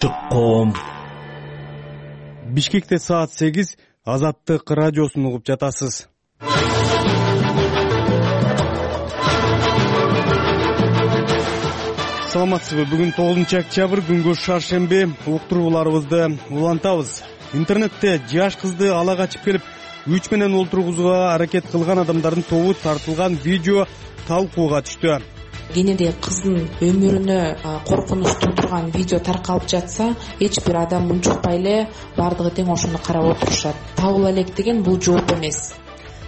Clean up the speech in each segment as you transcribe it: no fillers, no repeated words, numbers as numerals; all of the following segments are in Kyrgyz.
Коом. Бишкекте саат 8 Азаттык радиосун угуп жатасыз. Саламатсызбы? Бүгүн 9-октябрь, күнгө шаршемби. Уктурууларыбызды улантабыз. Интернетте жаш кызды ала качып келип, күч менен олтургузууга аракет кылган адамдардын тобу тартылган видео талкууга түштү. Кенеде кыздын өмүрүнө коркунуч туудурган видео таркалып жатса, эч бир адам унчукпай эле бардыгы тең ошону карап отурушат. Табыла элек деген бул жооп эмес.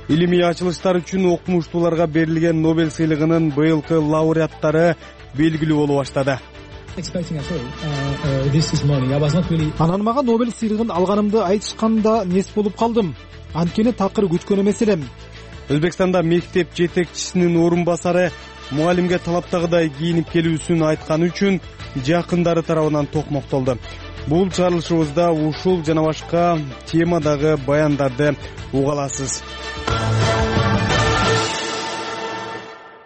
Илимий ачылыштар үчүн окумуштууларга берилген Нобель сыйлыгынын быйылкы лауреаттары белгилүү боло баштады. Анан мага Нобель сыйлыгын алганымды айтышканда нес болуп калдым. Анткени такыр күткөн эмес элем. Өзбекстанда мектеп жетекчисинин орун басары мугалимге талаптагыдай кийинип келүүсүн айтканы үчүн жакындары тарабынан токмоктолду. Бул чыгарылышыбызда ушул жана башка темадагы баяндарды уга аласыз.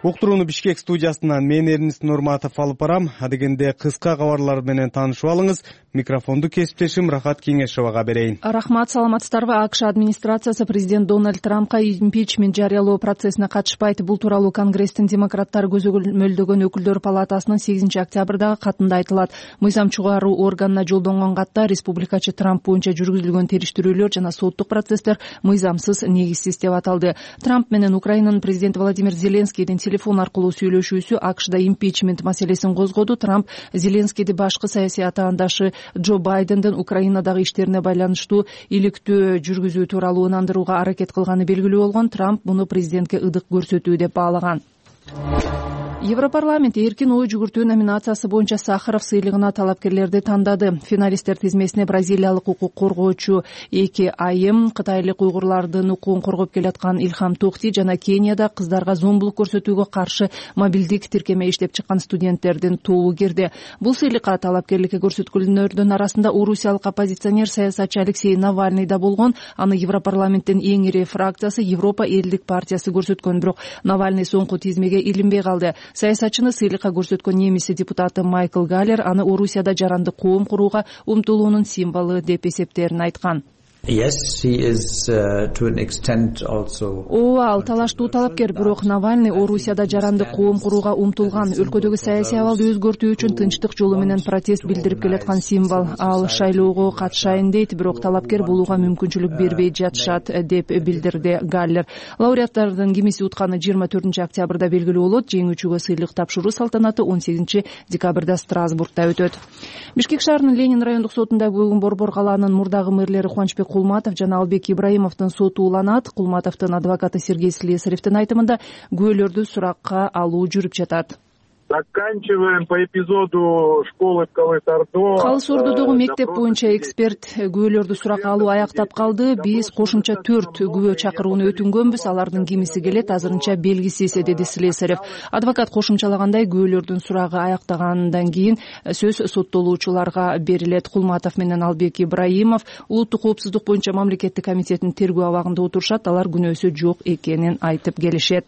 Уктурууну Бишкек студиясынан мен Эрнис Нурматов алып барам. Адегенде кыска кабарлар менен таанышып алыңыз. Микрофонду кесиптешим Рахат Кеңешовага берейин. Рахмат, саламатсыздарбы? АКШ администрациясы президент Дональд Трампка импичмент жарыялоо процессине катышпайт. Бул тууралуу Конгресстин демократтары көзөмөлдөгөн өкүлдөр палатасынын 8-октябрдагы катында айтылат. Мыйзам чыгаруу органына жолдонгон катта республикачы Трамп боюнча жүргүзүлгөн териштирүүлөр жана соттук процесстер мыйзамсыз, негизсиз деп аталды. Трамп менен Украинанын президенти Владимир Зеленскийдин телефон аркылуу сүйлөшүүсү АКШда импичмент маселесин козгоду. Трамп Зеленскийди башкы саясий атаандашы Джо Байдендин Украинадагы иштерине байланыштуу иликтөө жүргүзүү тууралуу ынандырууга аракет кылганы белгилүү болгон. Трамп муну президентке ыдык көрсөтүү деп баалаган. Европарламент эркин ой жүгүртүү номинациясы боюнча Сахаров сыйлыгына талапкерлерди тандады. Финалисттер тизмесине бразилиялык укук коргоочу Эки Айым, кытайлык уйгурлардын укугун коргоп келаткан Илхам Тохти жана Кенияда кыздарга зомбулук көрсөтүүгө каршы мобилдик тиркеме иштеп чыккан студенттердин тобу кирди. Бул сыйлыкка талапкерликке көрсөткөнлөрдүн арасында орусиялык оппозиционер саясатчы Алексей Навальный да болгон. Аны Европарламенттин эң ири фракциясы Европа элдик партиясы көрсөткөн, бирок Навальный соңку тизмеге илинбей калды. Саясатчыны сыйлыкка көрсөткөн немис депутаты Майкл Галлер аны Орусияда жарандык коом курууга умтулуунун символу деп эсептерин айткан. Ал талаштуу талапкер, бирок Навальный Орусияда жарандык коом курууга умтулган. Өлкөдөгү саясий абалды өзгөртүү үчүн тынчтык жолу менен протест билдирип келаткан символ. Ал шайлоого катышайын дейт, бирок талапкер болууга мүмкүнчүлүк бербей жатышат деп билдирди Галлер. Лауреаттардын кимиси утканы 24-октябрда белгилүү болот. Жеңүүчүгө сыйлык тапшыруу салтанаты 18-декабрда Страсбургда өтөт. Бишкек шаарынын Ленин райондук сотунда бүгүн Борбор калаанын мурдагы мэрлери Кубанычбек Кулматов жана Албек Ибраимовдун соту уланат. Кулматовдун адвокаты Сергей Слесаревдин айтымында күбөлөрдү суракка алуу жүрүп жатат. Заканчиваем по эпизоду школы в Калыс-Ордо. Калыс-Ордодогу мектеп боюнча эксперт күбөлөрдү суракка алуу аяктап калды. Биз кошумча 4 күбө чакырууну өтүнгөнбүз. Алардын кимиси келет, азырынча белгисиз, деди Слесарев. Адвокат кошумчалагандай, күбөлөрдүн сурагы аяктагандан кийин сөз соттолуучуларга берилет. Кулматов менен Албек Ибраимов улуттук коопсуздук боюнча мамлекеттик комитеттин тергөө абагында отурушат. Алар күнөөсү жок экенин айтып келишет.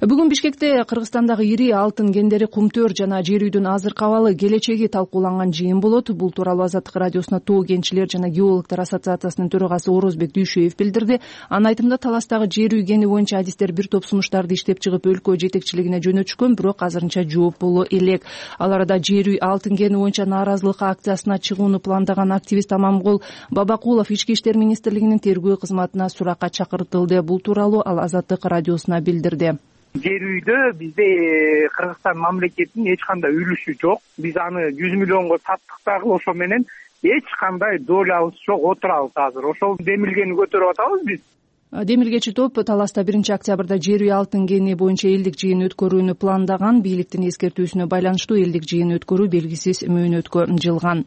Бүгүн Бишкекте Кыргызстандагы ири алтын кендери Кумтөр жана жер үйдүн азыркы абалы келечеги талкууланган жыйын болот. Бул тууралуу Азаттык радиосуна Тоо кенчилер жана геологдор ассоциациясынын төрагасы Орозбек Дүйшөев билдирди. Анын айтымында таластагы жер үй кени боюнча адистер бир топ сунуштарды иштеп чыгып өлкө жетекчилигине жөнөтүшкөн, бирок азырынча жооп боло элек. Ал арада жер үй алтын кени боюнча нааразылык акциясына чыгууну пландаган активист Амангол Бабакулов Ички иштер министрлигинин тергөө кызматына суракка чакыртылды. Бул тууралуу ал Азаттык радиосуна билдирди. Жер үйдө бизде Кыргызстан мамлекетинин эч кандай үлүшү жок. Биз аны 100 миллионго саттык дагы, ошо менен эч кандай долябыз жок, отурабыз азыр. Ошол демилгени көтөрүп атабыз биз. Демилгечи топ таласта 1-октябрда жер үй алтын кени боюнча элдик жыйын өткөрүүнү пландаган. Бийликтин эскертүүсүнө байланыштуу элдик жыйын өткөрүү белгисиз мөөнөткө жылган.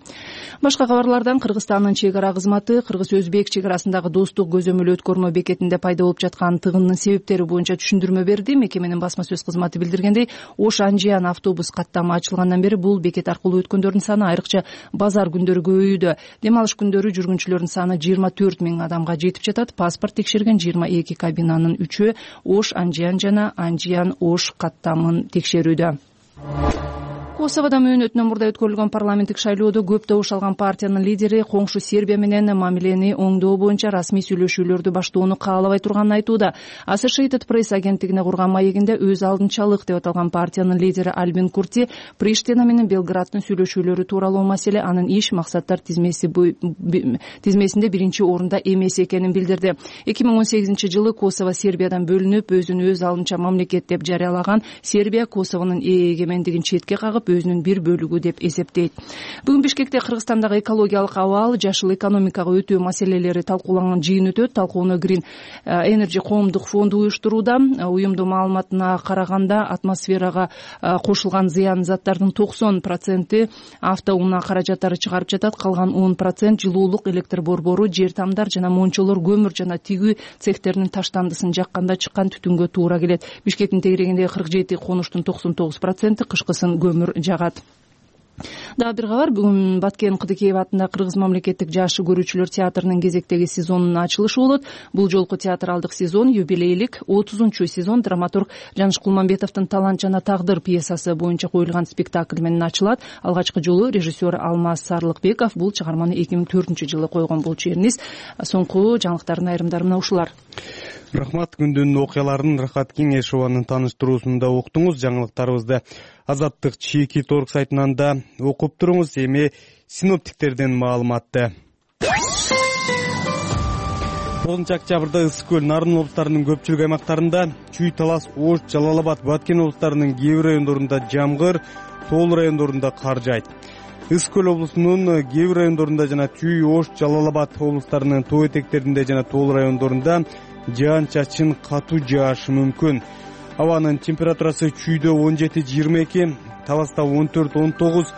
Башка кабарлардан Кыргызстандын чек ара кызматы Кыргыз-Өзбек чек арасындагы достук көзөмөл өткөрмө бекетинде пайда болуп жаткан тыгындын себептери боюнча түшүндүрмө берди. Мекеменин басма сөз кызматы билдиргендей, Ош-Анжиян автобус каттамы ачылгандан бери бул бекет аркылуу өткөндөрдүн саны айрыкча базар күндөрү көбөйүүдө. Дем алыш күндөрү жүргүнчүлөрдүн саны 24 000 адамга жетип жатат. Паспорт текшерген 22 кабинанын 3-ü Ош-Анжиян жана Анжиян-Ош каттамын текшерүүдө. Косоводо мөөнөтүнөн мурда өткөрүлгөн парламенттик шайлоодо көп добуш алган партиянын лидери коңшу Сербия менен мамилени оңдоо боюнча расмий сүйлөшүүлөрдү баштоону каалабай турганын айтууда. Associated Press агенттигине курган маегинде өз алдынчалык деп аталган партиянын лидери Альбин Курти Приштина менен Белграддын сүйлөшүүлөрү тууралуу маселе анын иш максаттар тизмесинде биринчи орунда эмес экенин билдирди. 2018-жылы Косово Сербиядан бөлүнүп, өзүн өз алдынча мамлекет деп жарыялаган Сербия Косовонун эгемендигин четке кагып, өзүнүн бир бөлүгү деп эсептейт. Бүгүн Бишкекте Кыргызстандагы экологиялык абал, жашыл экономикага өтүү маселелери талкууланган жыйын өтөт. Талкууну Green Energy коомдук фонду уюштурууда. Уюмдун маалыматына караганда, атмосферага кошулган зыян заттардын 90% автоунаа каражаттары чыгарып жатат. Калган 10% жылуулук, электр борбору, жер тамдар жана мончолор, көмүр жана тигүү цехтеринин таштандысын жакканда чыккан түтүнгө туура келет. Бишкектин тегерегиндеги 47 конуштун 99% кышкысын көмүр жагат. Дагы бир кабар. Бүгүн Баткен Кыдыкеев атындагы Кыргыз мамлекеттик жакшы көрүүчүлөр театрынын кезектеги сезонунун ачылышы болот. Бул жолку театралдык сезон юбилейлик 30-сезон драматург Жаныш Кулманбетовдун Талант жана тагдыр пьесасы боюнча коюлган спектакль менен ачылат. Алгачкы жолу режиссер Алмаз Сарлыкбеков бул чыгарманы 2004-жылы койгон болчу эрниз. Соңку жаңылыктардын айрымдары мына ушулар. Рахмат. Күндүн окуяларын Рахат Кеңешованын тааныштыруусунда уктуңуз. Жаңылыктарыбызды Азаттык чеки торг сайтынан да окуп туруңуз. Эми синоптиктерден маалыматты. 9-октябрда Ысык көл, Нарын облустарынын көпчүлүк аймактарында, Чүй, Талас, Ош, Жалал Абад, Баткен облустарынын кээ бир райондорунда жамгыр, Тоол райондорунда кар жаайт. Ысык көл облусунун кээ бир райондорунда жана Чүй, Ош, Жалал Абад облустарынын тоо этектеринде жана Тоол райондорунда жаан-чачын катуу жаашы мүмкүн. Абанын температурасы Чүйдө 17-22, Таласта 14-19,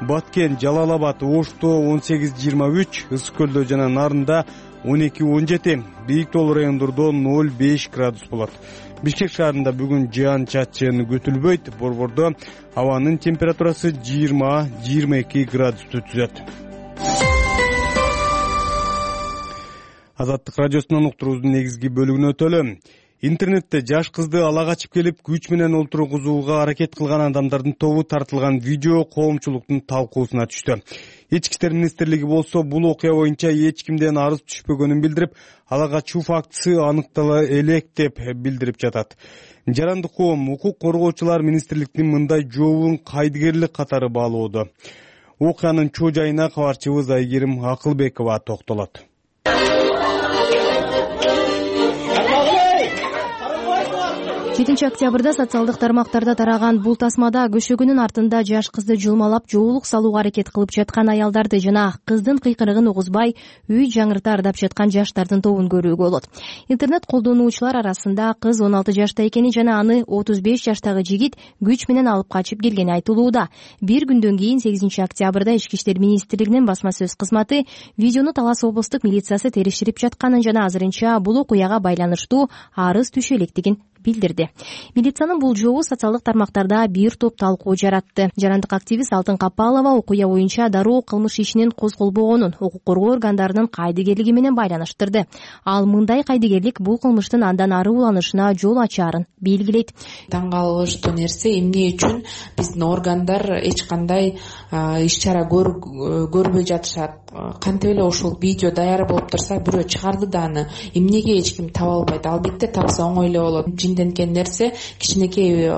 Баткен, Жалал Абад, Ошто 18-23, Ысык көлдө жана Нарында 12-17, бийик тоол райондордо 0-5 градус болот. Бишкек шаарында бүгүн жаан-чачын күтүлбөйт. Борбордо абанын температурасы 20-22 градусту түзөт. Азаттык радиосунан уктуруубуздун негизги бөлүгүнө өтөлү. Интернетте жаш кызды ала качып келип, күч менен олтургузууга аракет кылган адамдардын тобу тартылган видео коомчулуктун талкуусуна түштү. Ички иштер министрлиги болсо бул окуя боюнча эч кимден арыз түшпөгөнүн билдирип, ала качуу фактысы аныктала элек деп билдирип жатат. Жарандык коом, укук коргоочулар министрликтин мындай жообун кайдыгерлик катары баалоодо. Окуянын чоо жайына кабарчыбыз Айгерим Акылбекова токтолот. 7-октябрда социалдык тармактарда тараган бул тасмада көшөгүнүн артында жаш кызды жулмалап, жоолук салууга аракет кылып жаткан аялдарды жана кыздын кыйкырыгын угузбай үй жаңырта ырдап жаткан жаштардын тобун көрүүгө болот. Интернет колдонуучулар арасында кыз 16 жашта экени жана аны 35 жаштагы жигит күч менен алып качып келгени айтылууда. Bir күндөн кийин 8-октябрда Ички иштер министрлигинин басма сөз кызматы видеону Талас облустук милициясы териштирип жатканын жана азырынча бул окуяга байланыштуу арыз түшө электигин билдирди. Милициянын бул жообу социалдык тармактарда бир топ талкуу жаратты. Жарандык активист Алтын Капалова окуя боюнча дароо кылмыш ишинин козголбогонун укук коргоо органдарынын кайдыгерлиги менен байланыштырды. Ал мындай кайдыгерлик бул кылмыштын андан ары уланышына жол ачаарын белгилейт. Таң калыштуу нерсе, эмне үчүн биздин органдар эч кандай иш чара көрбөй жатышат. Кантип эле ушул видео даяр болуп турса, бирөө чыгарды да аны эмнеге эч ким таба албайт? Албетте тапса оңой эле болот. Жинденген нерсе кичинекей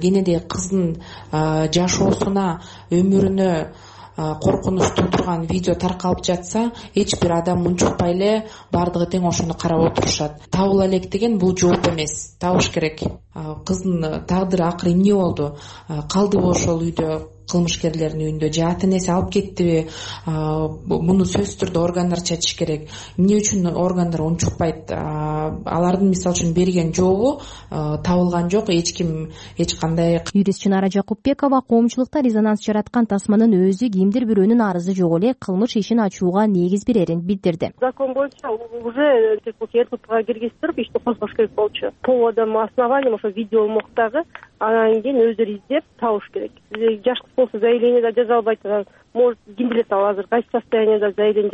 кенедей кыздын жашоосуна, өмүрүнө коркунуч туудурган видео таркалып жатса, эч бир адам унчукпай эле бардыгы тең ошону карап отурушат. Табыла элек деген бул жооп эмес, табыш керек. Кыздын тагдыры акыры эмне болду? Калдыбы ошол үйдө, кылмышкерлердин үйүндө, же ата энеси алып кеттиби? Муну сөзсүз түрдө органдар чечиш керек. Эмне үчүн органдар унчукпайт? Алардын мисалы үчүн берген жообу табылган жок, эч ким эч кандай. Юрист Чынара Жакупбекова коомчулукта резонанс жараткан тасманын өзү кимдир бирөөнүн арызы жок эле кылмыш ишин ачууга негиз берерин билдирди. Закон боюнча уже РППга киргизип ишти козгош керек болчу. Поводом, основанием ошо видео моктагы, анан кийин өздөрү издеп табыш керек. Жаш болсо заявление да жаза албайт, может ким билет ал азыр кайсы состояниеда заявление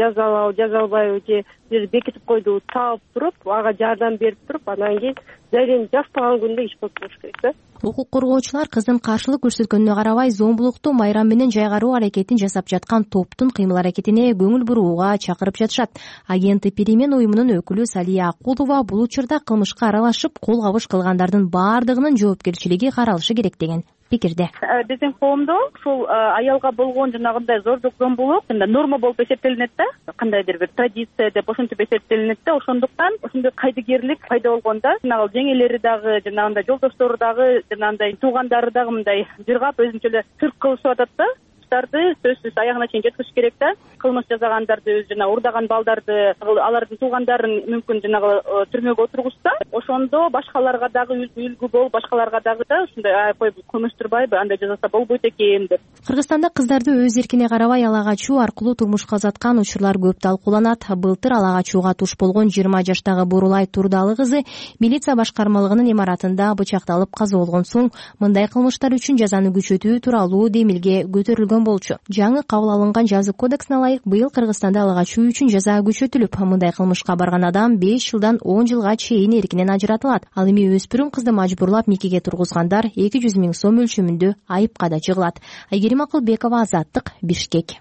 жаза албайбы же бир бекитип койду, таап туруп ага жардам берип туруп анан кийин заявление жазбаган күндө иш болуп болуш керек да. Укук коргоочулар кыздын каршылык көрсөткөнүнө карабай зомбулукту майрам менен жайгаруу аракетин жасап жаткан топтун кыймыл аракетине көңүл бурууга чакырып жатышат. Агенти Перемен уюмунун өкүлү Салия Акулова бул учурда кылмышка аралашып кол кабыш кылгандардын баардыгынын жоопкерчилиги каралышы керек деген пикирде. Биздин коомдо ушул аялга болгон жанагындай зордук зомбулук норма болуп эсептелинет да, кандайдыр бир традиция деп ошентип эсептелинет да. Ошондуктан ошондой кайдыгерлик пайда болгондо жанагы жеңелери дагы, жанагындай жолдоштору дагы, жанагындай туугандары дагы мындай жыргап өзүнчө эле сырт кылышып атат да. Сөзсүз аягына чейин жеткизиш керек да. Кылмыш жасагандарды, жана урдаган балдарды, алардын туугандарын мүмкүн жанагы түрмөгө отургузса, ошондо башкаларга дагы үлгү болуп, башкаларга дагы да ушундай кой кылмыштырбайбы, андай жасаса болбойт экен деп. Кыргызстанда кыздарды өз эркине карабай ала качуу аркылуу турмушка узаткан учурлар көп талкууланат. Былтыр ала качууга туш болгон 20 жаштагы Бурулай Турдалы кызы милиция башкармалыгынын имаратында бычакталып каза болгон соң мындай кылмыштар үчүн жазаны күчөтүү тууралуу демилге көтөрүлгөн болчу. Жаңы кабыл алынган жаза кодексине ылайык быйыл Кыргызстанда ала качуу үчүн жаза күчөтүлүп, мындай кылмышка барган адам 5 жылдан 10 жылга чейин эркинен ажыратылат. Ал эми өспүрүм кызды мажбурлап никеге тургузгандар 200 000 сом өлчөмүндө айыпка да жыгылат. Айгерим Акылбекова, Азаттык, Бишкек.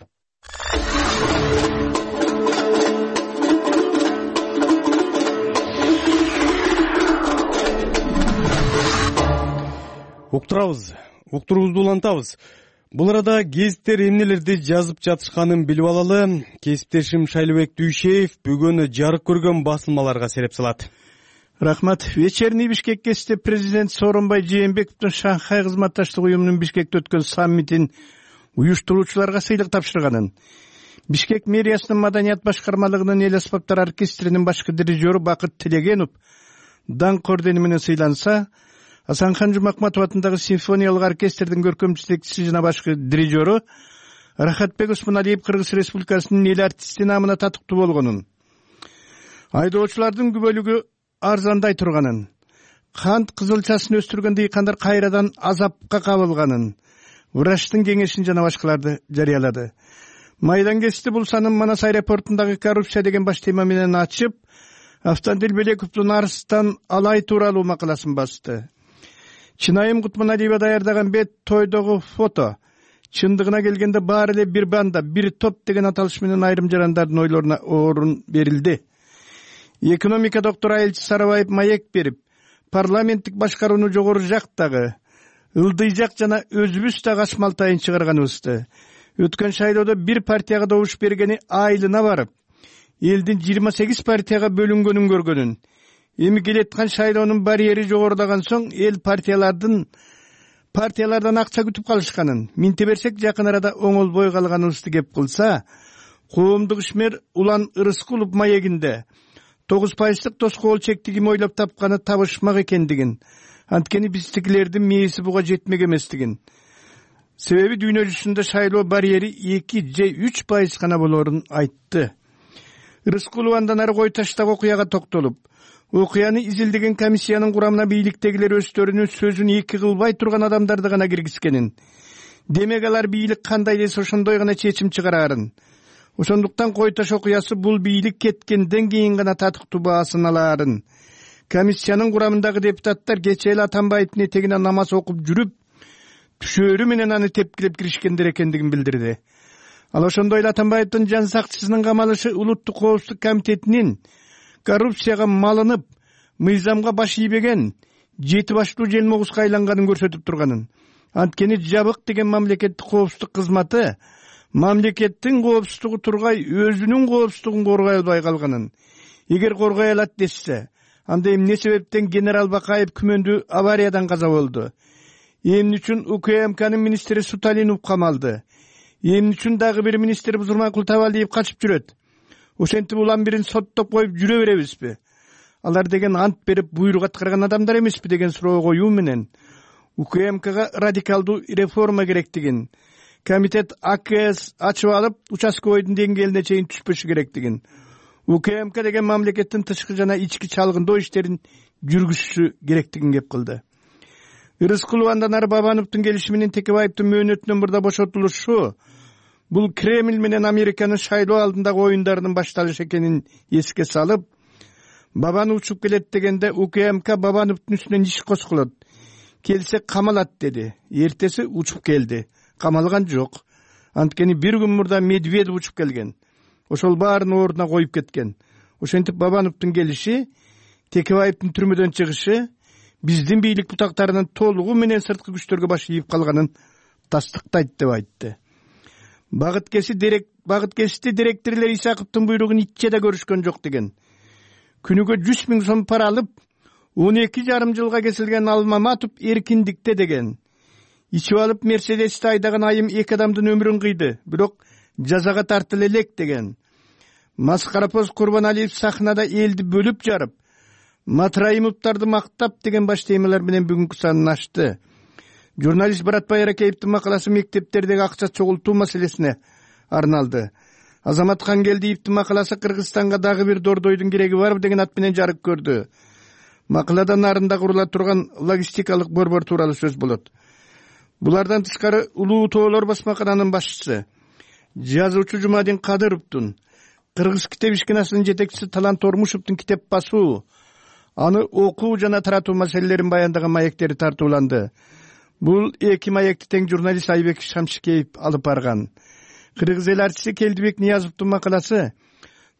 Уктуруубузду улантабыз. Бул арада гезиттер эмнелерди жазып жатышканын билип алалы. Кесиптешим Шайлыбек Дүйшеев бүгүн жарык көргөн басылмаларга сереп салат. Рахмат. Вечерний Бишкек гезитте президент Сооронбай Жээнбековдун Шанхай кызматташтык уюмунун Бишкекте өткөн саммитин уюштуруучуларга сыйлык тапшырганын, Бишкек мэриясынын маданият башкармалыгынын эл аспаптар оркестринин башкы дирижеру Бакыт Тилегенов даңк ордени менен сыйланса, Асанхан Жумакматов атындагы симфониялык оркестрдин көркөм жетекчиси жана башкы дирижеру Рахатбек Усманалиев Кыргыз Республикасынын эл артисти намына татыктуу болгонун, айдоочулардын көп бөлүгү арзандай турганын, кант кызылчасын өстүргөн дыйкандар кайрадан азапка кабылганын, врачтын кеңешин жана башкаларды жарыялады. Майдан гезити бул санын Манас аэропортундагы коррупция деген баш тема менен ачып, Автандил Белековдун Арыстан алай тууралуу макаласын басты. Чынайым Кутманалиева даярдаган бет тойдогу фото чындыгына келгенде баары эле бир банда, бир топ деген аталыш менен айрым жарандардын ойлоруна орун берилди. Экономика доктору Айылчы Сарыбаев маек берип, парламенттик башкарууну жогору жактагы, ылдый жак жана өзүбүз да качмалтайын чыгарганыбызды, өткөн шайлоодо бир партияга добуш бергени айылына барып, элдин 28 партияга бөлүнгөнүн көргөнүн, эми келаткан шайлоонун барьери жогорулаган соң эл партиялардан акча күтүп калышканын, минте берсек жакын арада оңолбой калганыбызды кеп кылса, коомдук ишмер Улан Ырыскулов маегинде 9% тоскоол чекти ким ойлоп тапканы табышмак экендигин, анткени биздикилердин мээси буга жетмек эместигин, себеби дүйнө жүзүндө шайлоо барьери 2 же 3% гана болорун айтты. Ырыскулов андан ары кой таштагы окуяга токтолуп, окуяны изилдеген комиссиянын курамына бийликтегилер өздөрүнүн сөзүн эки кылбай турган адамдарды гана киргизгенин, демек алар бийлик кандай десе ошондой гана чечим чыгарарын, ошондуктан кой таш окуясы бул бийлик кеткенден кийин гана татыктуу баасын алаарын, комиссиянын курамындагы депутаттар кечээ эле Атамбаевдин этегине намаз окуп жүрүп, түшөрү менен аны тепкилеп киришкендер экендигин билдирди. Ал ошондой эле Атамбаевдин жан сакчысынын камалышы Улуттук коопсуздук комитетинин коррупцияга малынып, мыйзамга баш ийбеген 7 баштуу желмогузга айланганын көрсөтүп турганын, анткени жабык деген мамлекеттик коопсуздук кызматы мамлекеттин коопсуздугу тургай өзүнүн коопсуздугун коргой албай калганын, эгер коргой алат десе, анда эмне себептен генерал Бакаев күмөндүү авариядан каза болду, эмне үчүн УКМКнын министри Суталинов камалды, эмне үчүн дагы бир министр Бузурманкул Табалиев качып жүрөт, ошентип улам бирин соттоп коюп жүрө беребизби? Алар деген ант берип буйрук аткарган адамдар эмеспи деген суроо коюу менен УКМКга радикалдуу реформа керектигин, комитет АКС ачып алып, участковойдун деңгээлине чейин түшпөшү керектигин, УКМК деген мамлекеттин тышкы жана ички чалгындоо иштерин жүргүзүшү керектигин кеп кылды. Рыскулов андан ары Бабановдун келиши менен Текебаевдин мөөнөтүнөн мурда бошотулушу бул Кремль менен Американын шайлоо алдындагы оюндарынын башталышы экенин эске салып, Бабанов учуп келет дегенде УКМК Бабановдун үстүнөн иш козголот, келсе камалат деди. Эртеси учуп келди, камалган жок. Анткени бир күн мурда Медведев учуп келген. Ошол баарын ордуна коюп кеткен. Ошентип Бабановдун келиши, Текебаевдин түрмөдөн чыгышы биздин бийлик бутактарынын толугу менен сырткы күчтөргө баш ийип калганын тастыктайт деп айтты. Багыт кести директорлор Исаковдун буйругун ичче да көрүшкөн жок деген. Күнүгө 100 000 сом пара алып, 12,5 жылга кесилген Алмаматов эркиндикте деген. Ичип алып Мерседести айдаган айым 2 адамдын өмүрүн кыйды, бирок жазага тартыла элек деген. Маскарапоз Курбаналиев сахнада элди бөлүп жарып, Матраимовдарды мактап деген баш темалар менен бүгүнкү санын ачты. Журналист Баратбай Аракеевдин макаласы мектептердеги акча чогултуу маселесине арналды. Азамат Хангелдиевдин макаласы Кыргызстанга дагы бир дордойдун кереги барбы деген ат менен жарык көрдү. Макалада нарында курула турган логистикалык борбор тууралуу сөз болот. Булардан тышкары Улуу Тоолор басмакананын башчысы, жазуучу Жумадин Кадыровдун, Кыргыз китеп ишканасынын жетекчиси Талант Ормушевдун китеп басуу, аны окуу жана таратуу маселелерин баяндаган маектери тартууланды. Бул 2 маекти тең журналист Айбек Шамшикеев алып барган. Кыргыз эл артисти Келдибек Ниязовдун макаласы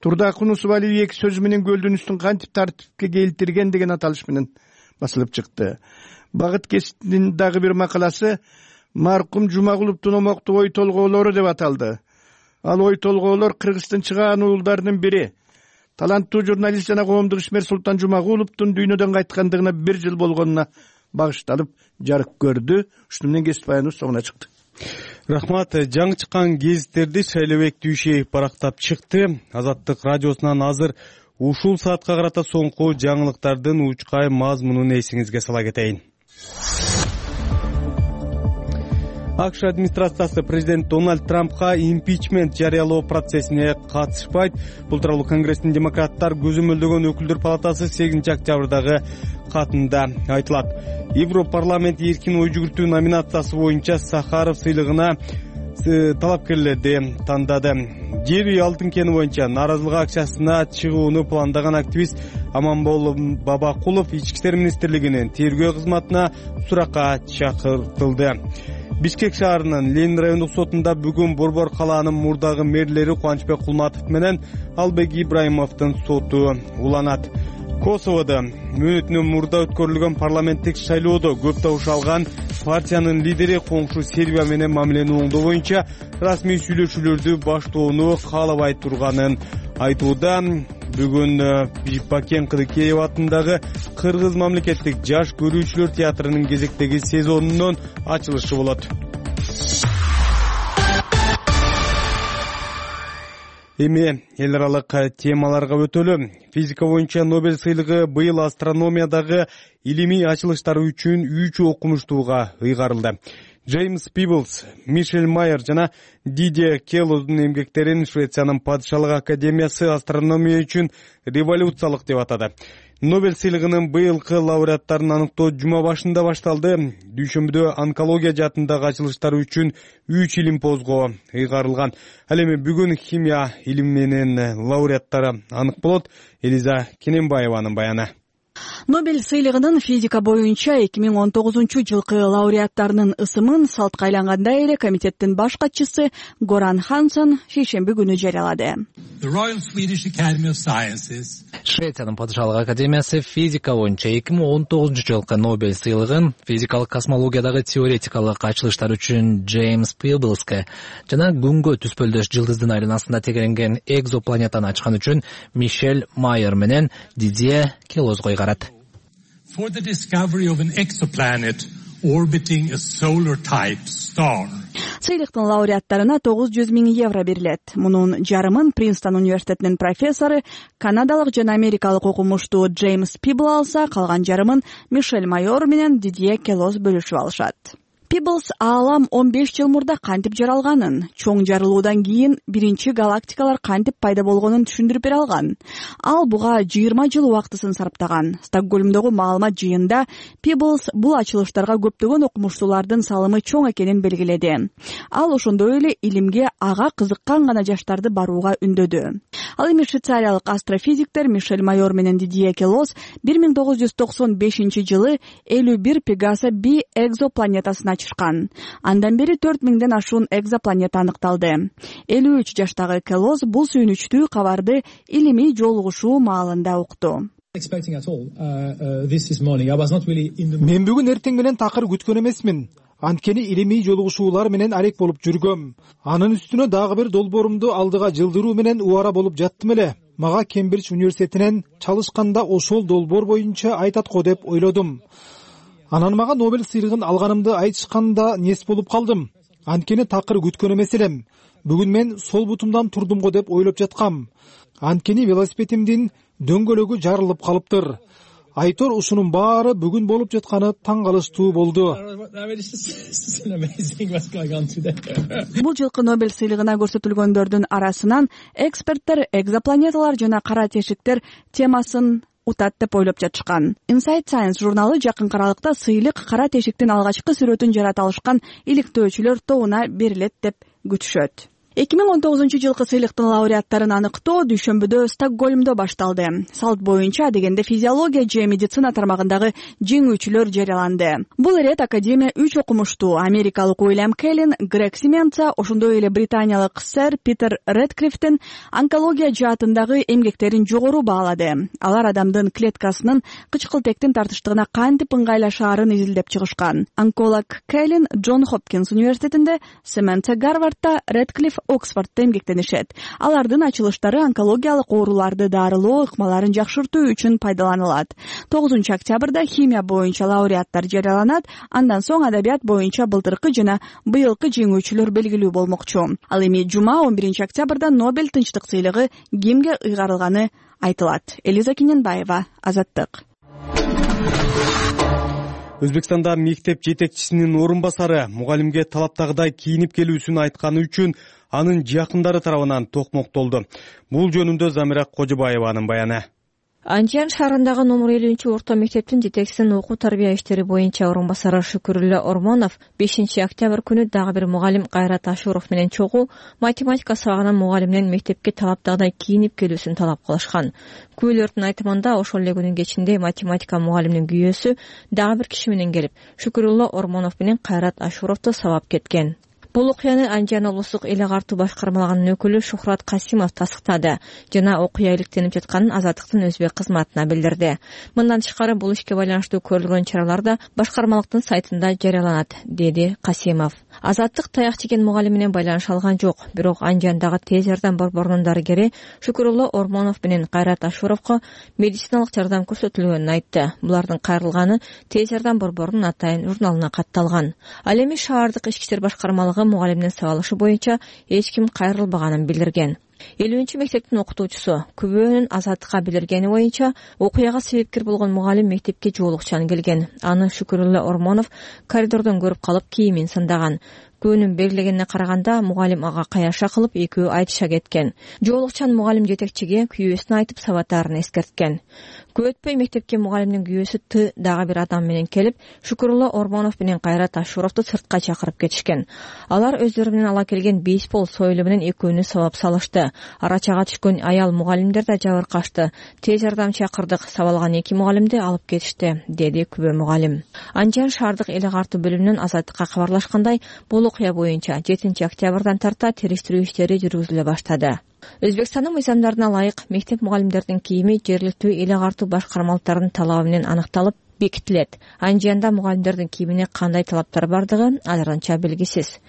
Турдакун Усубалиев 2 сөзү менен көлдүн үстүн кантип тартипке келтирген деген аталыш менен басылып чыкты. Багыт кесиптин дагы бир макаласы маркум Жумагуловдун омоктуу ой толгоолору деп аталды. Ал ой толгоолор Кыргыздын чыгаан уулдарынын бири, таланттуу журналист жана коомдук ишмер Султан Жумагуловдун дүйнөдөн кайткандыгына 1 жыл болгонуна багышталып жарык көрдү. Ушуну менен кесип баяныбыз соңуна чыкты. Рахмат. Жаңы чыккан гезиттерди Шайлебек Дүйшеев барактап чыкты. Азаттык радиосунан азыр ушул саатка карата соңку жаңылыктардын учкай мазмунун эсиңизге сала кетейин. АКШ администрациясы президент Дональд Трампка импичмент жарыялоо процессине катышпайт. Бул тууралуу Конгресстин демократтар көзөмөлдөгөн өкүлдөр палатасы 8 октябрдагы катында айтылат. Европарламент эркин ой жүгүртүү номинациясы боюнча Сахаров сыйлыгына талапкерлерди тандады. Жер үй алтын кени боюнча нааразылык акциясына чыгууну пландаган активист Аманбол Бабакулов Ички иштер министрлигинин тергөө кызматына суракка чакыртылды. Бишкек шаарынын Ленин райондук сотунда бүгүн Борбор калаанын мурдагы мэрлери Кубанычбек Кулматов менен Албек Ибраимовдун соту уланат. Косоводо мөөнөтүнөн мурда өткөрүлгөн парламенттик шайлоодо көп табыш алган партиянын лидери коңшу Сербия менен мамилени оңдоо боюнча расмий сүйлөшүүлөрдү баштоону каалабай турганын айтууда. Бүгүн Бакен Кыдыкеев атындагы Кыргыз мамлекеттик жаш көрүүчүлөр театрынын кезектеги сезонунун ачылышы болот. Эми эл аралык темаларга өтөлү. Физика боюнча Нобель сыйлыгы быйыл астрономиядагы илимий ачылыштары үчүн 3 окумуштууга ыйгарылды. Джеймс Пиблс, Мишель Майер жана Дидье Келлоздун эмгектерин Швециянын падышалык академиясы астрономия үчүн революциялык деп атады. Нобель сыйлыгынын быйылкы лауреаттарын аныктоо жума башында башталды. Дүйшөмбүдө онкология жаатындагы ачылыштары үчүн 3 илимпозго ыйгарылган. Ал эми бүгүн химия илиминин лауреаттары анык болот. Элиза Кененбаеванын баяны. Нобель сыйлыгынын физика боюнча 2019-жылкы лауреаттарынын ысымын салтка айлангандай эле комитеттин баш катчысы Горан Ханссон шейшемби күнү жарыялады. Швециянын падышалык академиясы физика боюнча 2019-жылкы Нобель сыйлыгын физикалык космологиядагы теоретикалык ачылыштар үчүн Джеймс Пиблске жана күнгө түспөлдөш жылдыздын айланасында тегеренген экзопланетаны ачкан үчүн Мишель Майер менен Дидье Келлозго ыйгарат. For the discovery of an exoplanet orbiting a solar type star. Сыйлыктын лауреаттарына 900 000 евро берилет. Мунун жарымын Принстон университетинин профессору, канадалык жана америкалык окумуштуу Джеймс Пибл алса, калган жарымын Мишель Майор менен Дидье Келлоз бөлүшүп алышат. Pebbles аалам 15 жыл мурда кантип жаралганын, чоң жарылуудан кийин биринчи галактикалар кантип пайда болгонун түшүндүрүп бере алган. Ал буга 20 жыл убактысын сарптаган. Стокгольмдогу маалымат жыйынында Pebbles бул ачылыштарга көптөгөн окумуштуулардын салымы чоң экенин белгиледи. Ал ошондой эле илимге ага кызыккан гана жаштарды барууга үндөдү. Ал эми швейцариялык астрофизиктер Мишель Майор менен Дидье Келос 1995 жылы 51 Пегаса B экзопланетасын ачышкан. Андан бери 4000ден ашуун экзопланета аныкталды. 53 жаштагы Келос бул сүйүнүчтүү кабарды илимий жолугушуу маалында укту. Мен бүгүн эртең менен такыр күткөн эмесмин. Анткени илимий жолугушуулар менен алек болуп жүргөм. Анын үстүнө дагы бир долбоорумду алдыга жылдыруу менен убара болуп жаттым эле. Мага Кембридж университетинен чалышканда ошол долбоор боюнча айтат го деп ойлодум. Анан мага Нобель сыйлыгын алганымды айтышканда нес болуп калдым. Анткени такыр күткөн эмес элем. Бүгүн мен сол бутумдан турдум го деп ойлоп жаткам. Анткени велосипедимдин дөңгөлөгү жарылып калыптыр. Айтор ушунун баары бүгүн болуп жатканы таң калыштуу болду. Бул жылкы Нобель сыйлыгына көрсөтүлгөндөрдүн арасынан эксперттер экзопланеталар жана кара тешиктер темасын утат деп ойлоп жатышкан. Inside Science журналы жакынкы аралыкта сыйлык кара тешиктин алгачкы сүрөтүн жарата алышкан иликтөөчүлөр тобуна берилет деп күтүшөт. 2019 жылкы сыйлыктын лауреаттарын аныктоо дүйшөмбүдө Стокгольмдо башталды. Салт боюнча дегенде физиология же медицина тармагындагы жеңүүчүлөр жарыяланды. Бул ирет академия 3 окумуштуу америкалык Уильям Келлин, Грег Сименца, ошондой эле британиялык сэр Питер Редклиффтин онкология жаатындагы эмгектерин жогору баалады. Алар адамдын клеткасынын кычкылтектин тартыштыгына кантип ыңгайлашаарын изилдеп чыгышкан. Онколог Келлин Джон Хопкинс университетинде, Сименца Гарвардта, Редклифф Оксфордто эмгектенишет. Алардын ачылыштары онкологиялык ооруларды дарылоо ыкмаларын жакшыртуу үчүн пайдаланылат. 9 октябрда химия боюнча лауреаттар жарыяланат, андан соң адабият боюнча былтыркы жана быйылкы жеңүүчүлөр белгилүү болмокчу. Ал эми жума 11 октябрда Нобель тынчтык сыйлыгы кимге ыйгарылганы айтылат. Элиза Кененбаева, Азаттык. Өзбекстанда мектеп жетекчисинин орун басары мугалимге талаптагыдай кийинип келүүсүн айтканы үчүн анын жакындары тарабынан токмоктолду. Бул жөнүндө Замира Кожобаеванын баяны. Анжан шаарындагы номер 50-орто мектептин жетекчисинин окуу тарбия иштери боюнча орун басары Шүкүрүллө Ормонов 5 октябрь күнү дагы бир мугалим Кайрат Ашуров менен чогуу математика сабагынан мугалимден мектепке талаптагыдай кийинип келүүсүн талап кылышкан. Күбөлөрдүн айтымында ошол эле күнүн кечинде математика мугалиминин күйөөсү дагы бир киши менен келип Шүкүрүллө Ормонов менен Кайрат Ашуровду сабап кеткен. Бул окуяны Анжан облустук эле картуу башкармалыгынын өкүлү Шухрат Касимов тастыктады жана окуя иликтенип жатканын Азаттыктын өзбек кызматына билдирди. Мындан тышкары бул ишке байланыштуу көрүлгөн чаралар да башкармалыктын сайтында жарыяланат, деди Касимов. Азаттык таяк жеген мугалим менен байланыша алган жок, бирок Анжандагы тез жардам борборунун дарыгери Шүкүрүллө Ормонов менен Кайрат Ашуровго медициналык жардам көрсөтүлгөнүн айтты. Булардын кайрылганы тез жардам борборунун атайын журналына катталган. Ал эми шаардык ички иштер башкармалыгы мугалимдин сабалышы боюнча эч ким кайрылбаганын билдирген. 50-мектептин окутуучусу күбөнүн Азаттыкка билдиргени боюнча окуяга себепкер болгон мугалим мектепке жоолукчан келген. Аны Шүкүрүллө Ормонов коридордон көрүп калып кийимин сындаган. Күнүн белгилегенине караганда мугалим ага каяша кылып экөө айтыша кеткен. Жоолукчан мугалим жетекчиге күйөөсүн айтып сабатаарын эскерткен. Көп өтпөй мектепке мугалимдин күйөөсү Т дагы бир адам менен келип Шүкүрүллө Ормонов менен Кайрат Ашуровду сыртка чакырып кетишкен. Алар өздөрү менен ала келген бейсбол сойлу менен экөөнү сабап салышты. Арачага түшкөн аял мугалимдер да жабыркашты. Тез жардам чакырдык, сабалган 2 мугалимди алып кетишти, деди күбө мугалим. Анжан шаардык эле картуу бөлүмүнөн Азаттыкка кабарлашкандай, бул окуя боюнча 7 октябрдан тарта териштирүү иштери жүргүзүлө баштады. Өзбекстандын мыйзамдарына ылайык мектеп мугалимдердин кийими жергиликтүү эле картуу башкармалыктардын талабы менен аныкталып бекитилет. Анжанда мугалимдердин кийимине кандай талаптар бардыгы азырынча белгисиз.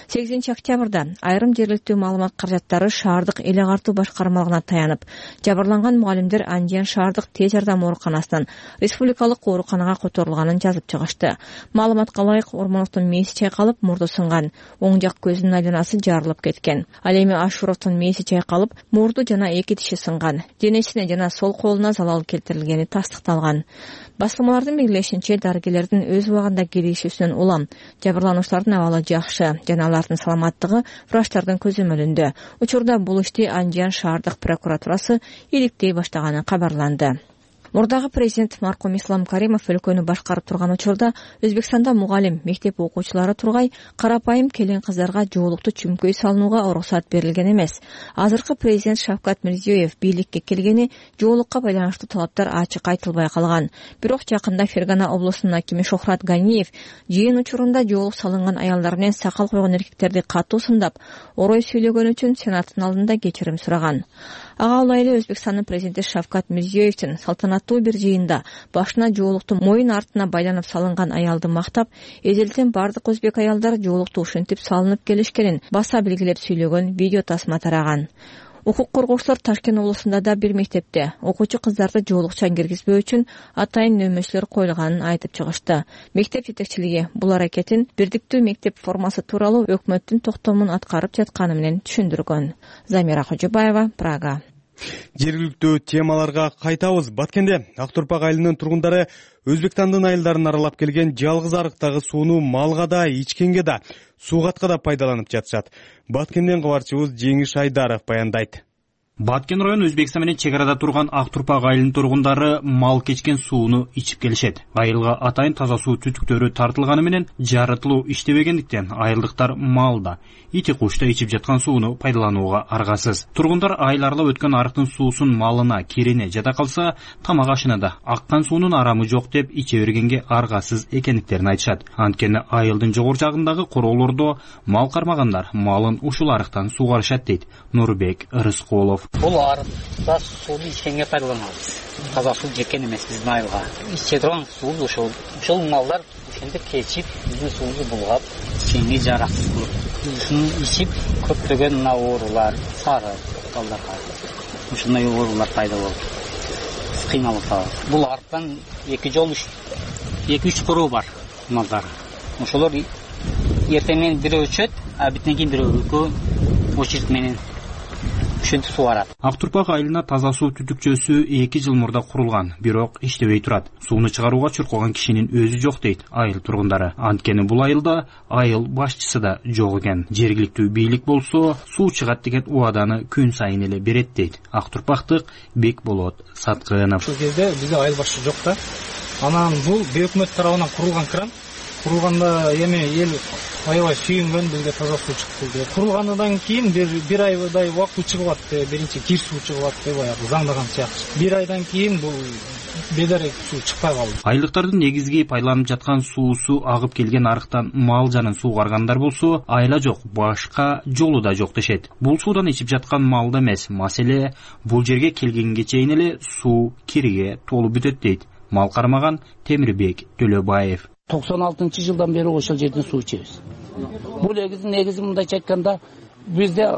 8 октябрда айрым жергиликтүү маалымат каражаттары шаардык эле картуу башкармалыгына таянып, жабырланган мугалимдер Анжан шаардык тез жардам ооруканасынан республикалык ооруканага которулганын жазып чыгышты. Маалыматка ылайык Ормоновдун мээси чайкалып, мурду сынган, оң жак көзүнүн айланасы жарылып кеткен. Ал эми Ашуровдун мээси чайкалып, мурду жана 2 тиши сынган. Денесине жана сол колуна залал келтирилгени тастыкталган. басылмалардын белгилешинче дарыгерлердин өз убагында келишүүсүнөн улам. Жабырлануучулардын абалы жакшы жана алардын саламаттыгы врачтардын көзөмөлүндө. Учурда бул ишти Андижан шаардык прокуратурасы иликтей баштаганы кабарланды. Мурдагы президент маркум Ислам Каримов өлкөнү башкарып турган учурда Өзбекстанда мугалим, мектеп окуучулары тургай карапайым келин кыздарга жоолукту чүмкөй салынууга уруксат берилген эмес. Азыркы президент Шавкат Мирзиёев бийликке келгени жоолукка байланыштуу талаптар ачык айтылбай калган. Бирок жакында Фергана облусунун акими Шохрат Ганиев жыйын учурунда жоолук салынган аялдар менен сакал койгон эркектерди катуу сындап, орой сүйлөгөн үчүн Сенаттын алдында кечирим сураган. Ага ылайы Өзбекстандын президенти Шавкат Мирзиёевдин салтанаттуу бир жыйында башына жоолукту моюн артына байланып салынган аялды мактап, эзелтен бардык өзбек аялдар жоолукту ушинтип салынып келишкенин баса белгилеп сүйлөгөн видео тасма тараган. Укук коргоочулар Ташкент облусунда да бир мектепте окуучу кыздарды жоолукчан киргизбөө үчүн атайын нөмөчүлөр коюлганын айтып чыгышты. Мектеп жетекчилиги бул аракетин бирдиктүү мектеп формасы тууралуу өкмөттүн токтомун аткарып жатканы менен түшүндүргөн. Замира Кожобаева, Прага. Жергиликтүү темаларга кайтабыз. Баткенде Актурпак айылынын тургундары Өзбекстандын айылдарын аралап келген жалгыз арыктагы сууну малга да, ичкенге да, суугатка да пайдаланып жатышат. Баткенден кабарчыбыз Жеңиш Айдаров баяндайт. Баткен району Өзбекстан менен чек арада турган Актурпак айылынын тургундары мал кечкен сууну ичип келишет. Айылга атайын таза суу түтүктөрү тартылганы менен жарытылуу иштебегендиктен айылдыктар малда, ити кушта ичип жаткан сууну пайдаланууга аргасыз. Тургундар айыл аралап өткөн арыктын суусун малына, кирине жата калса, тамак ашына да аккан суунун арамы жок деп иче бергенге аргасыз экендиктерин айтышат. Анткени айылдын жогору жагындагы короолордо мал кармагандар малын ушул арыктан суугарышат дейт Нурбек Рыскулов. Бул арыкта сууну ичкенге пайдаланабыз. Таза суу жеккен эмес биздин айылга. Иче турган суу ушул малдар ошентип кечип, биздин суубузду булгап, ичкенге жараксыз болот. Ушуну ичип көптөгөн мына оорулар, сары балдарга ушундай оорулар пайда болот. Кыйналып калат. Бул арыктан 2-3 короо бар малдар. Ошолор эртең менен бирөө өчөт, а битен кийин бирөө очередь менен сууарат. Актурпак айылына таза суу түтүкчөсү 2 жыл мурда курулган, бирок иштебей турат. Сууну чыгарууга чуркаган кишинин өзү жок дейт айыл тургундары. Анткени бул айылда айыл башчысы да жок экен. Жергиликтүү бийлик болсо суу чыгат деген убаданы күн сайын эле берет дейт Актурпактык Бекболот Саткынов. Ушул кезде бизде айыл башчы жок да. Анан бул өкмөт тарабынан курулган кран. Курулганда эми эл аябай сүйүнгөн, бизге таза суу чыкты деп. Курулгандан кийин бир айдай убакыт чыгып атты. Биринчи кир суу чыгып атты, баягы заңдаган сыяктуу. Бир айдан кийин бул бедарек суу чыкпай калды. Айылдыктардын негизги пайдаланып жаткан суусу агып келген арыктан мал жанын суугаргандар болсо, айла жок, башка жолу да жок дешет. Бул суудан ичип жаткан малда эмес, маселе бул жерге келгенге чейин эле суу кириге толуп бүтөт дейт мал кармаган Темирбек Төлөбаев. 96-жылдан бери ошол жерден суу ичебиз. Бул негизи мындайча айтканда бизде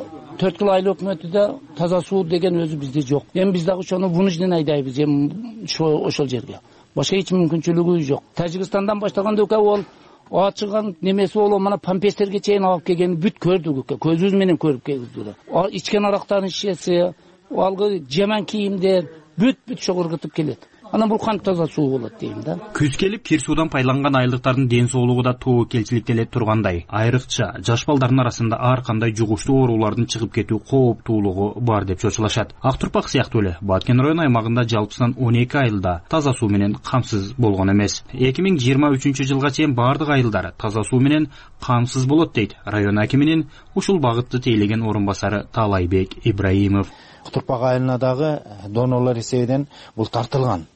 4 жыл айыл өкмөтүдө таза суу деген өзү бизде жок. Эми биз дагы ошону вынужден айдайбыз эми ошол жерге. Башка эч мүмкүнчүлүгү жок. Тажикстандан баштаганда ол ачыган немеси болуп мына памперстерге чейин алып келген бүт көрдүк, көзүбүз менен көрүп келдик. Ичкен арактардын шишеси, алгы жаман кийимдер бүт шогургутуп келет. Анан бул кантип таза суу болот дейм да. Күз келип кир суудан пайдаланган айылдыктардын ден соолугу да тобокелчиликтеле тургандай. Айрыкча жаш балдардын арасында ар кандай жугуштуу оорулардын чыгып кетүү кооптуулугу бар деп чочулашат. Актурпак сыяктуу эле Баткен району аймагында жалпысынан 12 айылда таза суу менен камсыз болгон эмес. 2023-жылга чейин бардык айылдар таза суу менен камсыз болот дейт район акиминин ушул багытты тейлеген орун басары Талайбек Ибраимов. Актурпак айылына дагы донорлор эсебинен бул тартылган.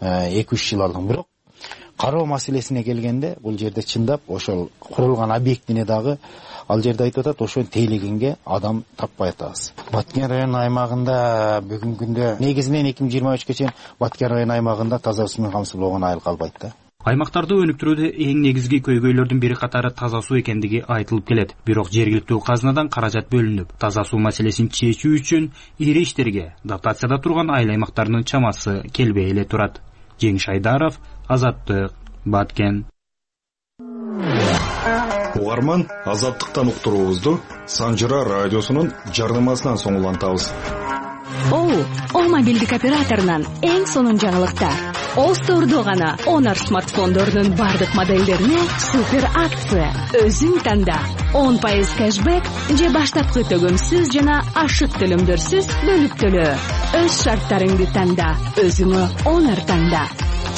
2-3 жыл алдын. Бирок кароо маселесине келгенде бул жерде чындап ошол курулган объектине дагы ал жерде айтып атат, ошону тейлегенге адам таппай атабыз. Баткен району аймагында бүгүнкү күндө негизинен 2023-ке чейин Баткен району аймагында таза суу менен камсыз болгон айыл калбайт да. Аймактарды өнүктүрүүдө эң негизги көйгөйлөрдүн бири катары таза суу экендиги айтылып келет. Бирок жергиликтүү казынадан каражат бөлүнүп, таза суу маселесин чечүү үчүн ири иштерге дотацияда турган айыл аймактарынын чамасы келбей эле турат. Жеңиш Айдаров, Азаттык, Баткен. Угарман, Азаттыктан уктуруубузду Санжыра радиосунун жардамасынан соң улантабыз. О, мобилдик операторунан эң сонун жаңылыктар. Остордо гана Honor смартфондордун бардык моделдерине супер акция. Өзүң танда 10% кэшбэк же баштапкы төгөмсүз жана ашык төлөмдөрсүз бөлүп төлөө. Өз шарттарыңды танда, өзүңө Honor танда.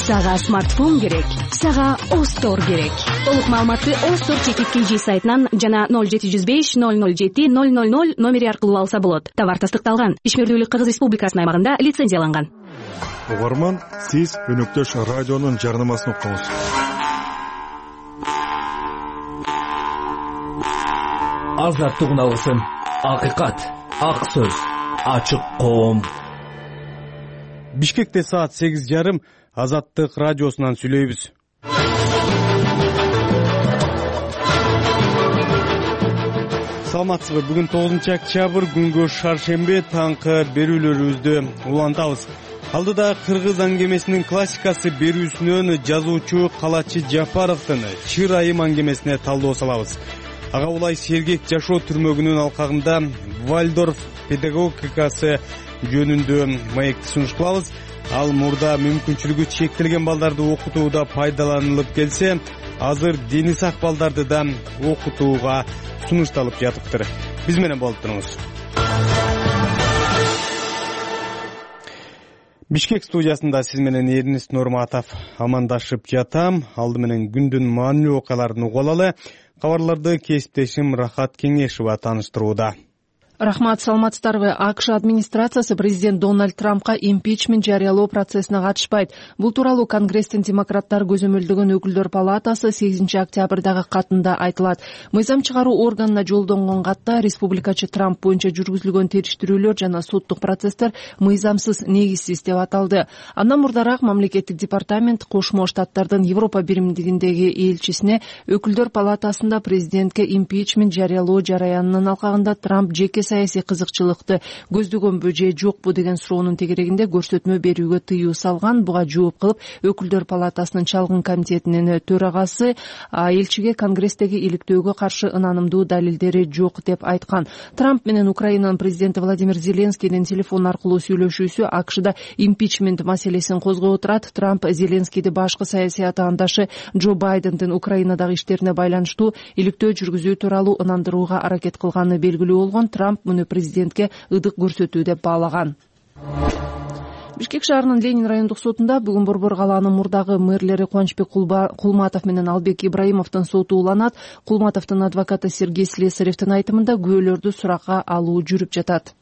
Сага смартфон керек, сага Остор керек. Толук маалыматты Остор чекит сайтынан жана 0705 007 000 номери аркылуу алса болот. Товар тастыкталган. Ишмердүүлүк Кыргыз Республикасынын аймагында лицензияланган. Угарман, сиз өнөктөш радионун жарнамасын уктуңуз. Азаттык алгысын. Акыйкат, ак сөз, ачык коом. Бишкекте саат 8:30 Азаттык радиосунан сүйлөйбүз. Саламатсызбы? Бүгүн 9-октябрь, күнгө шаршембе, таңкы берүүлөрүбүздү улантабыз. Алдыда кыргыз аңгемесинин классикасы берүүсүнөн жазуучу Калачы Жапаровдун Чыр айым аңгемесине талдоо салабыз. Ага улай сергек жашоо түрмөгүнүн алкагында Вальдорф педагогикасы жөнүндө маекти сунуш кылабыз. Ал мурда мүмкүнчүлүгү чектелген балдарды окутууда пайдаланылып келсе, азыр дени сак балдарды да окутууга сунушталып жатыптыр. Биз менен болуп туруңуз. Бишкек студиясында сиз менен Эрнест Нурматов амандашып жатам. Алды менен күндүн маанилүү окуяларын угуп алалы. Кабарларды кесиптешим Рахат Кеңешова тааныштырууда. Рахмат, саламатсыздарбы? АКШ администрациясы президент Дональд Трампка импичмент жарыялоо процессине катышпайт. Бул тууралуу Конгресстин демократтар көзөмөлдөгөн өкүлдөр палатасы 8 октябрдагы катында айтылат. Мыйзам чыгаруу органына жолдонгон катта республикачы Трамп боюнча жүргүзүлгөн териштирүүлөр жана соттук процесстер мыйзамсыз, негизсиз деп аталды. Андан мурдараак мамлекеттик департамент Кошмо Штаттардын Европа биримдигиндеги элчисине өкүлдөр палатасында президентке импичмент жарыялоо жараянынын алкагында Трамп жеке саясий кызыкчылыкты көздөгөнбү же жокпу деген суроонун тегерегинде көрсөтмө берүүгө тыюу салган. Буга жооп кылып өкүлдөр палатасынын чалгын комитетинин төрагасы элчиге Конгресстеги иликтөөгө каршы ынанымдуу далилдери жок деп айткан. Трамп менен Украинанын президенти Владимир Зеленскийдин телефон аркылуу сүйлөшүүсү АКШда импичмент маселесин козгоп отурат. Трамп Зеленскийди башкы саясий атаандашы Джо Байдендин Украинадагы иштерине байланыштуу иликтөө жүргүзүү тууралуу ынандырууга аракет кылганы белгилүү болгон. Трамп муну президентке ыдык көрсөтүү деп баалаган. Бишкек шаарынын Ленин райондук сотунда бүгүн Борбор калаанын мурдагы мэрлери Кубанычбек Кулматов менен Албек Ибраимовдун соту уланат. Кулматовдун адвокаты Сергей Слесаревдин айтымында күбөлөрдү суракка алуу жүрүп жатат.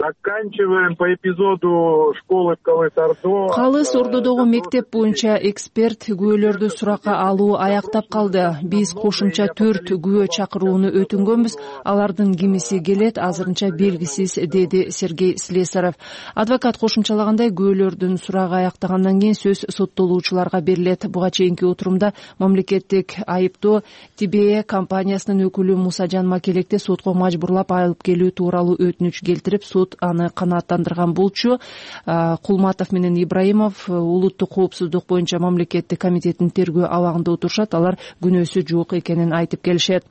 Заканчиваем по эпизоду школы в Калыс-Ордо. Калыс-Ордодогу мектеп боюнча эксперт күбөлөрдү суракка алуу аяктап калды. Биз кошумча 4 күбө чакырууну өтүнгөнбүз. Алардын кимиси келет, азырынча белгисиз, деди Сергей Слесарев. Адвокат кошумчалагандай, күбөлөрдүн сурагы аяктагандан кийин сөз соттолуучуларга берилет. Буга чейинки отурумда мамлекеттик айыптоо ТБ компаниясынын өкүлү Мусажан Макелекти сотко мажбурлап алып келүү тууралуу өтүнүч келтирип, сот аны канааттандырган болчу. Кулматов менен Ибраимов улуттук коопсуздук боюнча мамлекеттик комитеттин тергөө абагында отурушат. Алар күнөөсү жок экенин айтып келишет.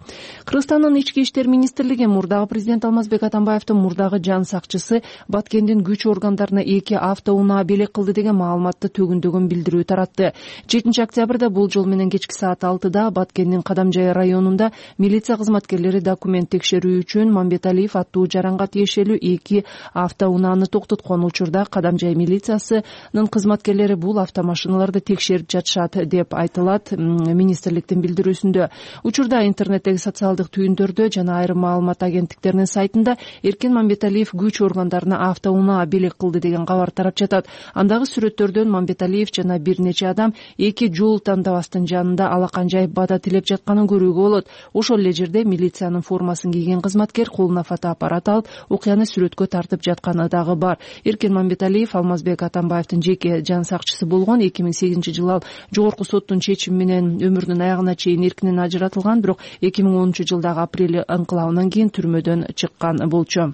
Кыргызстандын ички иштер министрлиги мурдагы президент Алмазбек Атамбаевдин мурдагы жан сакчысы Баткендин күч органдарына 2 автоунаа белек кылды деген маалыматты төгүндөгөн билдирүү таратты. 7 октябрда бул жол менен кечки саат 6-да Баткендин Кадамжай районунда милиция кызматкерлери документ текшерүү үчүн Мамбеталиев аттуу жаранга тиешелүү 2 автоунааны токтоткон. Учурда Кадамжай милициясынын кызматкерлери бул автомашиналарды текшерип жатышат деп айтылат министрликтин билдирүүсүндө. Учурда интернеттеги социалдык түйүндөрдө жана айрым маалымат агенттиктеринин сайтында Эркен Мамбеталиев күч органдарына автоунаа белек кылды деген кабар тарап жатат. Андагы сүрөттөрдөн Мамбеталиев жана бир нече адам 2 жол тандабастын жанында алаканжай бада тилеп жатканын көрүүгө болот. Ошол эле жерде милициянын формасын кийген кызматкер колуна фотоаппарат алып окуяны сүрөткө тартып жатканы дагы бар. Эркен Мамбеталиев Алмазбек Атамбаевдин жеке жан сакчысы болгон. 2008-жылы ал жогорку соттун чечими менен өмүрүнүн аягына чейин эркинен ажыратылган, бирок 2010-жылдагы апрель ыңкылабынан кийин түрмөдөн чыккан болчу.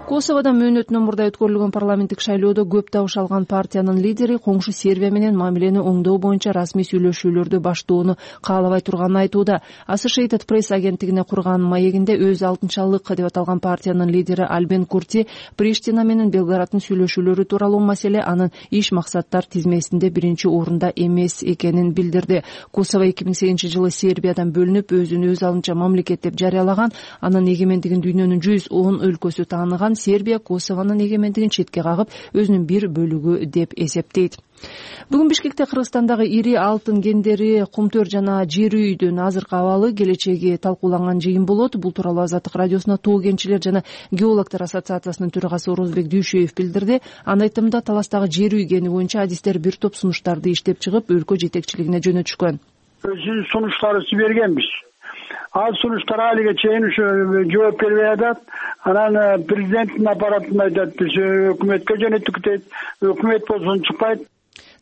Косоводо мөөнөтүнөн мурда өткөрүлгөн парламенттик шайлоодо көп табыш алган партиянын лидери коңшу Сербия менен мамилени оңдоо боюнча расмий сүйлөшүүлөрдү баштоону каалабай турганын айтууда. Associated Press агенттигине курган маегинде өз алтынчалык деп аталган партиянын лидери Альбин Курти Приштина менен Белграддын сүйлөшүүлөрү тууралуу маселе анын иш максаттар тизмесинде биринчи орунда эмес экенин билдирди. Косово 2008-жылы Сербиядан бөлүнүп, өзүн өз алдынча мамлекет деп жарыялаган. Анын эгемендигин дүйнөнүн 110 өлкөсү тааныган. Сербия Косовонун эгемендигин четке кагып, өзүнүн бир бөлүгү деп эсептейт. Бүгүн Бишкекте Кыргызстандагы ири алтын кендери, кумтөр жана жер үйдүн азыркы абалы, келечеги талкууланган жыйын болот. Бул тууралуу Азаттык радиосуна Тоо кенчилер жана геологдор ассоциациясынын төрагасы Орозбек Дүйшөев билдирди. Анын айтымында таластагы жер үй кени боюнча адистер бир топ сунуштарды иштеп чыгып, өлкө жетекчилигине жөнөтүшкөн. Сунуштарды берgenбиз. Ал сунуштар алиге чейин ушу жооп бербей атат. Анан президенттин аппаратына айтат, биз өкмөткө жөнөттүк дейт. Өкмөт болсо чыкпайт.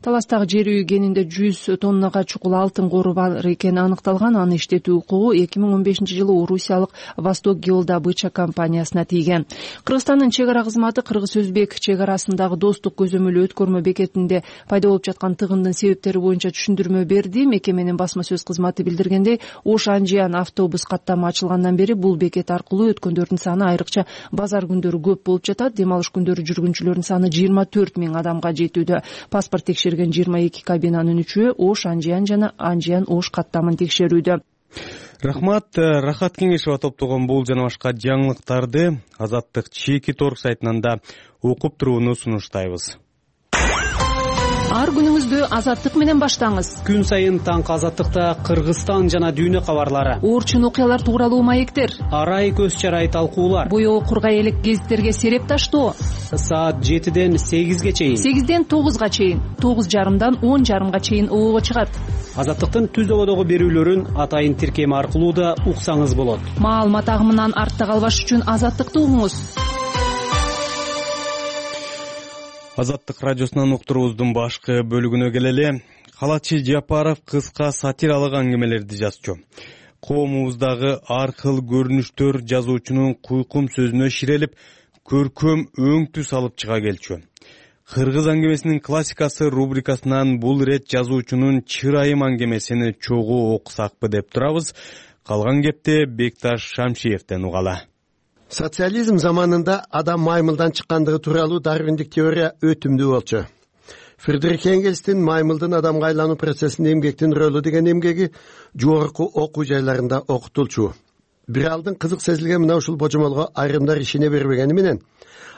Таластагы жер үй кенинде 100 тоннага чукул алтын кору бар экени аныкталган. Аны иштетүү укугу 2015-жылы Орусиялык Восток геодобыча компаниясына тийген. Кыргызстандын чек ара кызматы Кыргыз-Өзбек чек арасындагы достук көзөмөлү өткөрмө бекетинде пайда болуп жаткан тыгындын себептери боюнча түшүндүрмө берди. Мекеменин басма сөз кызматы билдиргендей, Ош-Анжиян автобус каттамы ачылгандан бери бул бекет аркылуу өткөндөрдүн саны айрыкча базар күндөрү көп болуп жатат. Дем алыш күндөрү жүргүнчүлөрдүн саны 24 000 адамга жетүүдө. Паспорт текшерген 22 кабинанын 3-өө Ош-Анжиян жана Анжиян-Ош каттамын текшерүүдө. Рахмат. Рахат Кеңешова топтогон бул жана башка жаңылыктарды Азаттык чеки торг сайтынан да окуп турууну сунуштайбыз. Ар күнүңүздү Азаттык менен баштаңыз. Күн сайын таңкы Азаттыкта Кыргызстан жана дүйнө кабарлары, орчун окуялар тууралуу маектер, арай көз чарай талкуулар, боёгу кургай элек гезиттерге сереп таштоо. Саат 7-ден 8-ге чейин, 8-ден 9-га чейин, 9:30-дан 10:30-га чейин оого чыгат. Азаттыктын түз ободогу берүүлөрүн атайын тиркеми аркылуу да уксаңыз болот. Маалымат агымынан артта калбаш үчүн Азаттыкты угуңуз. Азаттык радиосунан уктуруубуздун башкы бөлүгүнө келели. Калачы Жапаров кыска сатиралык аңгемелерди жазчу. Коомубуздагы ар кыл көрүнүштөр жазуучунун куйкум сөзүнө ширелип, көркөм өң түс алып чыга келчү. Кыргыз аңгемесинин классикасы рубрикасынан бул ирет жазуучунун чырайым аңгемесин чогуу окусакпы деп турабыз. Калган кепти Бекташ Шамшиевден угала. Социализм заманында адам маймылдан чыккандыгы тууралуу дарвиндик теория өтүмдүү болчу. Фридрих Энгельстин маймылдын адамга айлануу процессинде эмгектин рөлү деген эмгеги жогорку окуу жайларында окутулчу. Бир алдын кызык сезилген мына ушул божомолго айрымдар ишене бербегени менен,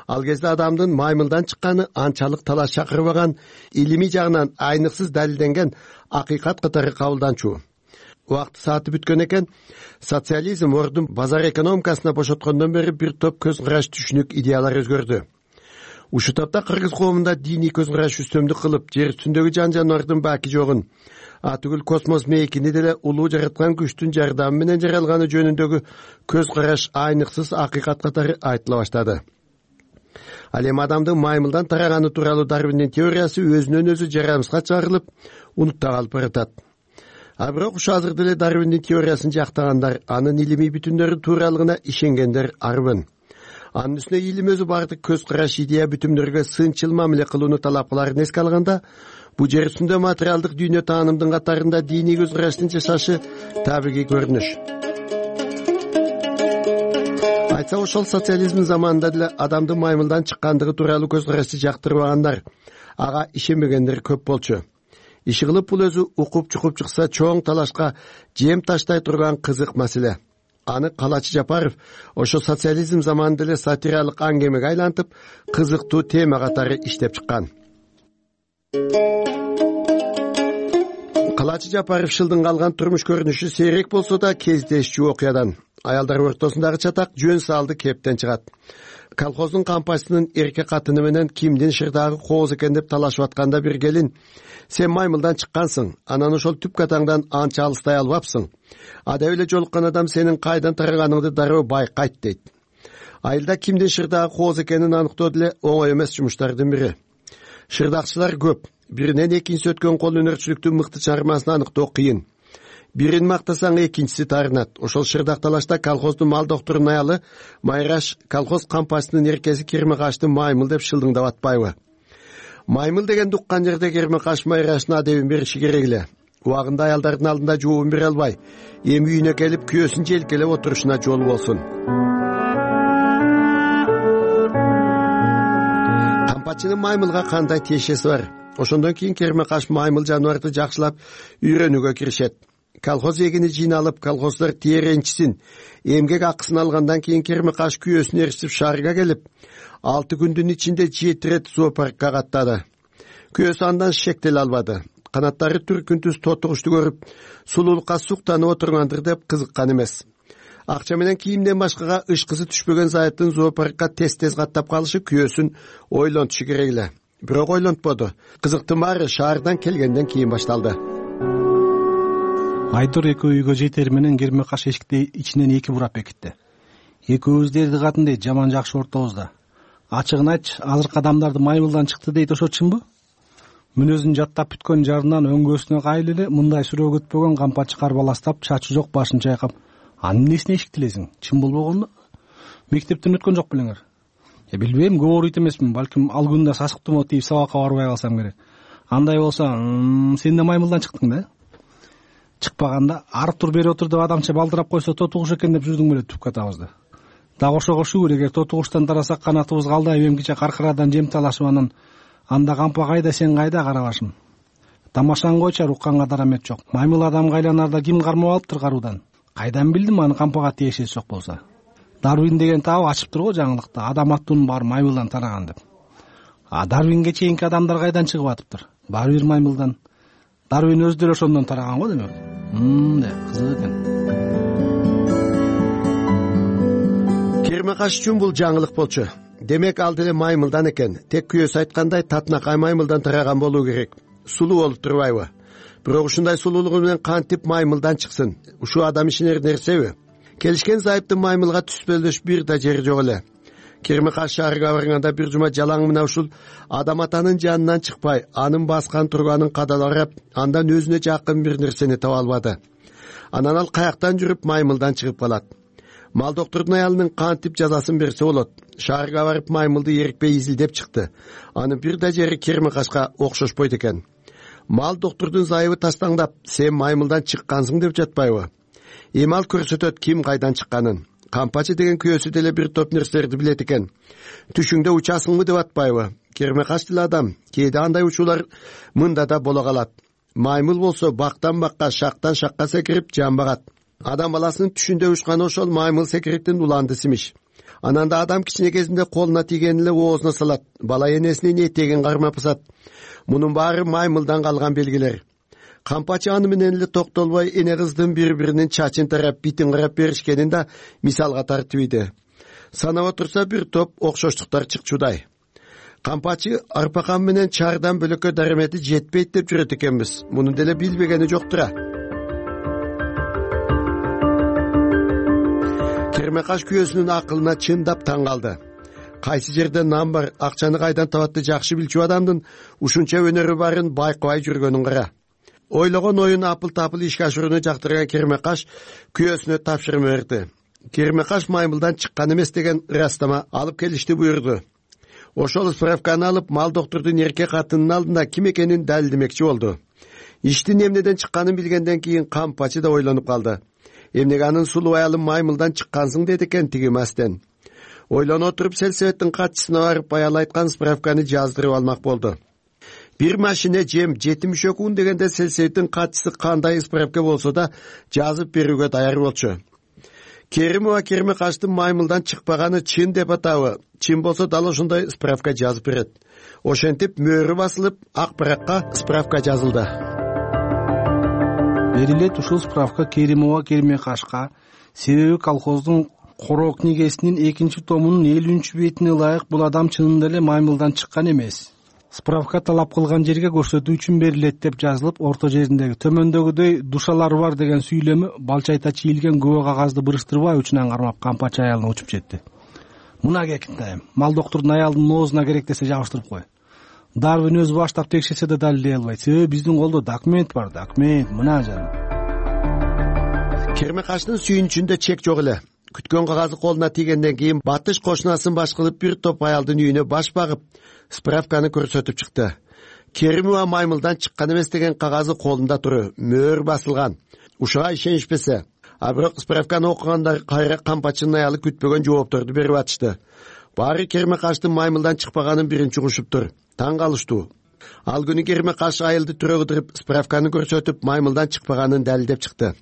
ал кезде адамдын маймылдан чыкканы анчалык талаш чакырбаган, илимий жагынан айныксыз далилденген акыйкат катары кабылданчу. Убакыт сааты бүткөн экен. Социализм ордун базар экономикасына бошоткондон бери бир топ көз караш түшүнүк идеялар өзгөрдү. Ушул топто кыргыз коомунда диний көз караш үстөмдүк кылып, жер үстүндөгү жан-жаныбардын баки жогун, атүгүл космос мейкини деле улуу жараткан күчтүн жардамы менен жаралганы жөнүндөгү көз караш айныксыз акыйкат катары айтыла баштады. Ал эми адамдын маймылдан тараганы тууралуу Дарвиндин теориясы өзүнөн өзү жарамсызга чыгарылып, унутта калып баратат. А бирок ушу азыр деле Дарвиндин теориясын жактагандар, анын илимий бүтүндөрү тууралыгына ишенгендер арбын. Анын үстүнө илим өзү бардык көз караш идея бүтүмдөргө сынчыл мамиле кылууну талап кыларын эске алганда, бул жер үстүндө материалдык дүйнө таанымдын катарында диний көз караштын жашашы табигый көрүнүш. Айтса ошол социализм заманында деле адамдын маймылдан чыккандыгы тууралуу көз карашты жактырбагандар, ага ишенбегендер көп болчу. Иши кылып бул өзү укуп чукуп чыкса чоң талашка жем таштай турган кызык маселе. Аны Калачы Жапаров ошо социализм заманында эле сатиралык аңгемеге айлантып, кызыктуу тема катары иштеп чыккан. Калачы Жапаров шылдың калган турмуш көрүнүшү сейрек болсо да кездешчү окуядан. Аялдар ортосундагы чатак жөн салды кептен чыгат. Колхоздун кампачысынын эрке катыны менен кимдин шырдагы кооз экен деп талашып атканда бир келин: "Сен маймылдан чыккансың, анан ошол түп катаңдан анча алыстай албапсың. Ада эле жолуккан адам сенин кайдан тараганыңды дароо байкайт" дейт. Айылда кимдин шырдагы кооз экенин аныктоо деле оңой эмес жумуштардын бири. Шырдакчылар көп. Биринен экинчиси өткөн кол өнөрчүлүктүн мыкты чыгармасын аныктоо кыйын. Бирин мактасаң экинчиси таарынат. Ошол шырдакталашта колхоздун мал докторунун аялы Майраш колхоз кампачынын эркеси Кермекашты маймыл деп шылдыңдап атпайбы? Маймыл деген уккан жерде Кермекаш Майраштын адебин бериши керек эле. Убагында аялдардын алдында жообун бере албай, эми үйүнө келип күйөөсүн желкелеп отурушуна жол болсун. Кампачынын маймылга кандай тиешеси бар? Ошондон кийин Кермекаш маймыл жаныбарды жакшылап үйрөнүүгө киришет. Колхоз эгини жыйналып, колхоздор тиеренчисин, эмгек акысын алгандан кийин Кермекаш күйөөсүн ээрчип шаарга келип, 6 күндүн ичинде 7 рет зоопаркка каттады. Күйөөсү андан шектеле албады. Канаттары түркүнтүз тотугушту көрүп, сулуулукка суктанып отургандыр деп кызыккан эмес. Акча менен кийимден башкага ышкысы түшпөгөн зайыптын зоопаркка тез каттап калышы күйөөсүн ойлонтушу керек эле. Бирок ойлонтподу. Кызыктын баары шаардан келгенден кийин башталды. Айдор экөө үйгө жетери менен Кермекаш эшикти ичинен 2 бурап бекитти. Экөөбүз дерди катын дейт, жаман жакшы ортобузда. Ачыгын айтчы, азыркы адамдарды маймылдан чыкты дейт, ошо чынбы? Мүнөзүн жаттап бүткөн жарынан өңгөсүнө кайыл эле мындай сүрөө күтпөгөн кампачы карбаластап, чачы жок башын чайкап, анын эмнесине эшиктилесиң? Чын болбогонду? Мектептен өткөн жок белеңер? Билбейм, көп оройт эмесмин, балким ал күндө сасыктуу тип сабакка барбай калсам керек. Андай болсо, сен да маймылдан чыктың да? Чыкпаганда арып тур бери отур деп адамча балдырап койсо тотугуш экен деп жүрдүң беле түп катабызды. Дагы ошого шүгүр, эгер тотугуштан тарасак канатыбыз калдайып эмкиче каркырадан жем талашып анан анда кампа кайда, сен кайда карабашым. Тамашаны койчу, укканга дарамет жок. Маймыл адамга айланарда ким кармап алыптыр каруудан? Кайдан билдим аны кампага тиешеси жок болсо? Дарвин деген табы ачыптыр го жаңылыкта, адам аттуунун баары маймылдан тараган деп. Дарвинге чейинки адамдар кайдан чыгып атыптыр? Баары бир маймылдан. Дарвин өзү деле ошондон тараган го демек. Кызык экен. Кермекаш үчүн бул жаңылык болчу. Демек ал деле маймылдан экен. Тек күйөөсү айткандай татынакай маймылдан тараган болуу керек. Сулуу болуп турбайбы? Бирок ушундай сулуулугу менен кантип маймылдан чыксын? Ушул адам ишенер нерсеби? Келишкен зайыптын маймылга түспөлдөш бир да жери жок эле. Кермекаш шаарга барганда бир жума жалаң мына ушул адам атанын жанынан чыкпай, анын баскан турганын кадаларап, андан өзүнө жакын бир нерсени таба албады. Анан ал каяктан жүрүп маймылдан чыгып калат. Мал доктордун аялынын кантип жазасын берсе болот. Шаарга барып маймылды эрикпей изилдеп чыкты. Анын бир да жери Кермекашка окшошпойт экен. Мал доктордун зайыбы тастаңдап, сен маймылдан чыккансың деп жатпайбы? Эми ал көрсөтөт ким кайдан чыкканын. Кампачы деген күйөөсү деле бир топ нерселерди билет экен. Түшүңдө учасыңбы деп атпайбы? Кермекаш деле адам. Кээде андай учуулар мында да боло калат. Маймыл болсо бактан бакка, шактан шакка секирип жамбагат. Адам баласынын түшүндө учканы ошол маймыл секириктин уландысы имиш. Анан да адам кичине кезинде колуна тийгенин эле оозуна салат. Бала энесинин этегин кармап пысат. Мунун баары маймылдан калган белгилер. Кампачы аны менен эле токтолбой эне кыздын бири-биринин чачын тарап, битин карап беришкенин да мисалга тартып ийди. Санап отурса бир топ окшоштуктар чыкчудай. Кампачы арпакан менен чаардан бөлөккө дарамети жетпейт деп жүрөт экенбиз. Муну деле билбегени жоктура. Кермекаш күйөөсүнүн акылына чындап таң калды. Кайсы жерде нан бар, акчаны кайдан табатты жакшы билчү адамдын ушунча өнөрү барын байкабай жүргөнүн кара. Ойлогон оюн апыл-тапыл ишке ашырууну жактырган Кермекаш күйөөсүнө тапшырма берди. Кермекаш маймылдан чыккан эмес деген ырастама алып келишти буйрду. Ошол справканы алып, мал доктордун эркек катынын алдында ким экенин далилдемекчи болду. Иштин эмнеден чыкканын билгенден кийин Кампачы да ойлонуп калды. Эмнеге анын сулуу аялы маймылдан чыккансың деди экен тиги мастен. Ойлоно отуруп сельсоветтин катчысына барып аял айткан справканы жаздырып алмак болду. Бир машина жем 70 күн дегенде сельсоветтин катчысы кандай справка болсо да жазып берүүгө даяр болчу. Керимова Кермекаштын маймылдан чыкпаганы чын деп атабы? Чын болсо дал ошондой справка жазып берет. Ошентип мөөрү басылып, ак баракка справка жазылды. Берилет ушул справка Керимова Кермекашка, себеби колхоздун короо книгесинин 2-томунун 50-бетине ылайык бул адам чынында эле маймылдан чыккан эмес. Справка талап кылган жерге көрсөтүү үчүн берилет деп жазылып, орто жериндеги төмөндөгүдөй душалары бар деген сүйлөмү балчайта чийилген күбө кагазды бырыштырбай учунан кармап Кампачы аялына учуп жетти. Мына кекинтайм, мал доктордун аялынын оозуна керек десе жабыштырып кой. Дарвин өзү баштап текшерсе да далилдей албайт. Себеби биздин колдо документ бар, документ, мына жаным. Кермекаштын сүйүнүчүндө чек жок эле. Күткөн кагазы колуна тийгенден кийин батыш кошунасын баш кылып бир топ аялдын үйүнө баш багып, справканы көрсөтүп чыкты. Керимова маймылдан чыккан эмес деген кагазы колунда туру, мөөр басылган. Ушуга ишенишпесе, а бирок справканы окугандар кайра кампачынын аялы күтпөгөн жоопторду берип атышты. Баары Кермекаштын маймылдан чыкпаганын биринчи угушуптур. Таң калыштуу. Ал күнү Кермекаш айылды түрө кыдырып, справканы көрсөтүп, маймылдан чыкпаганын далилдеп чыкты.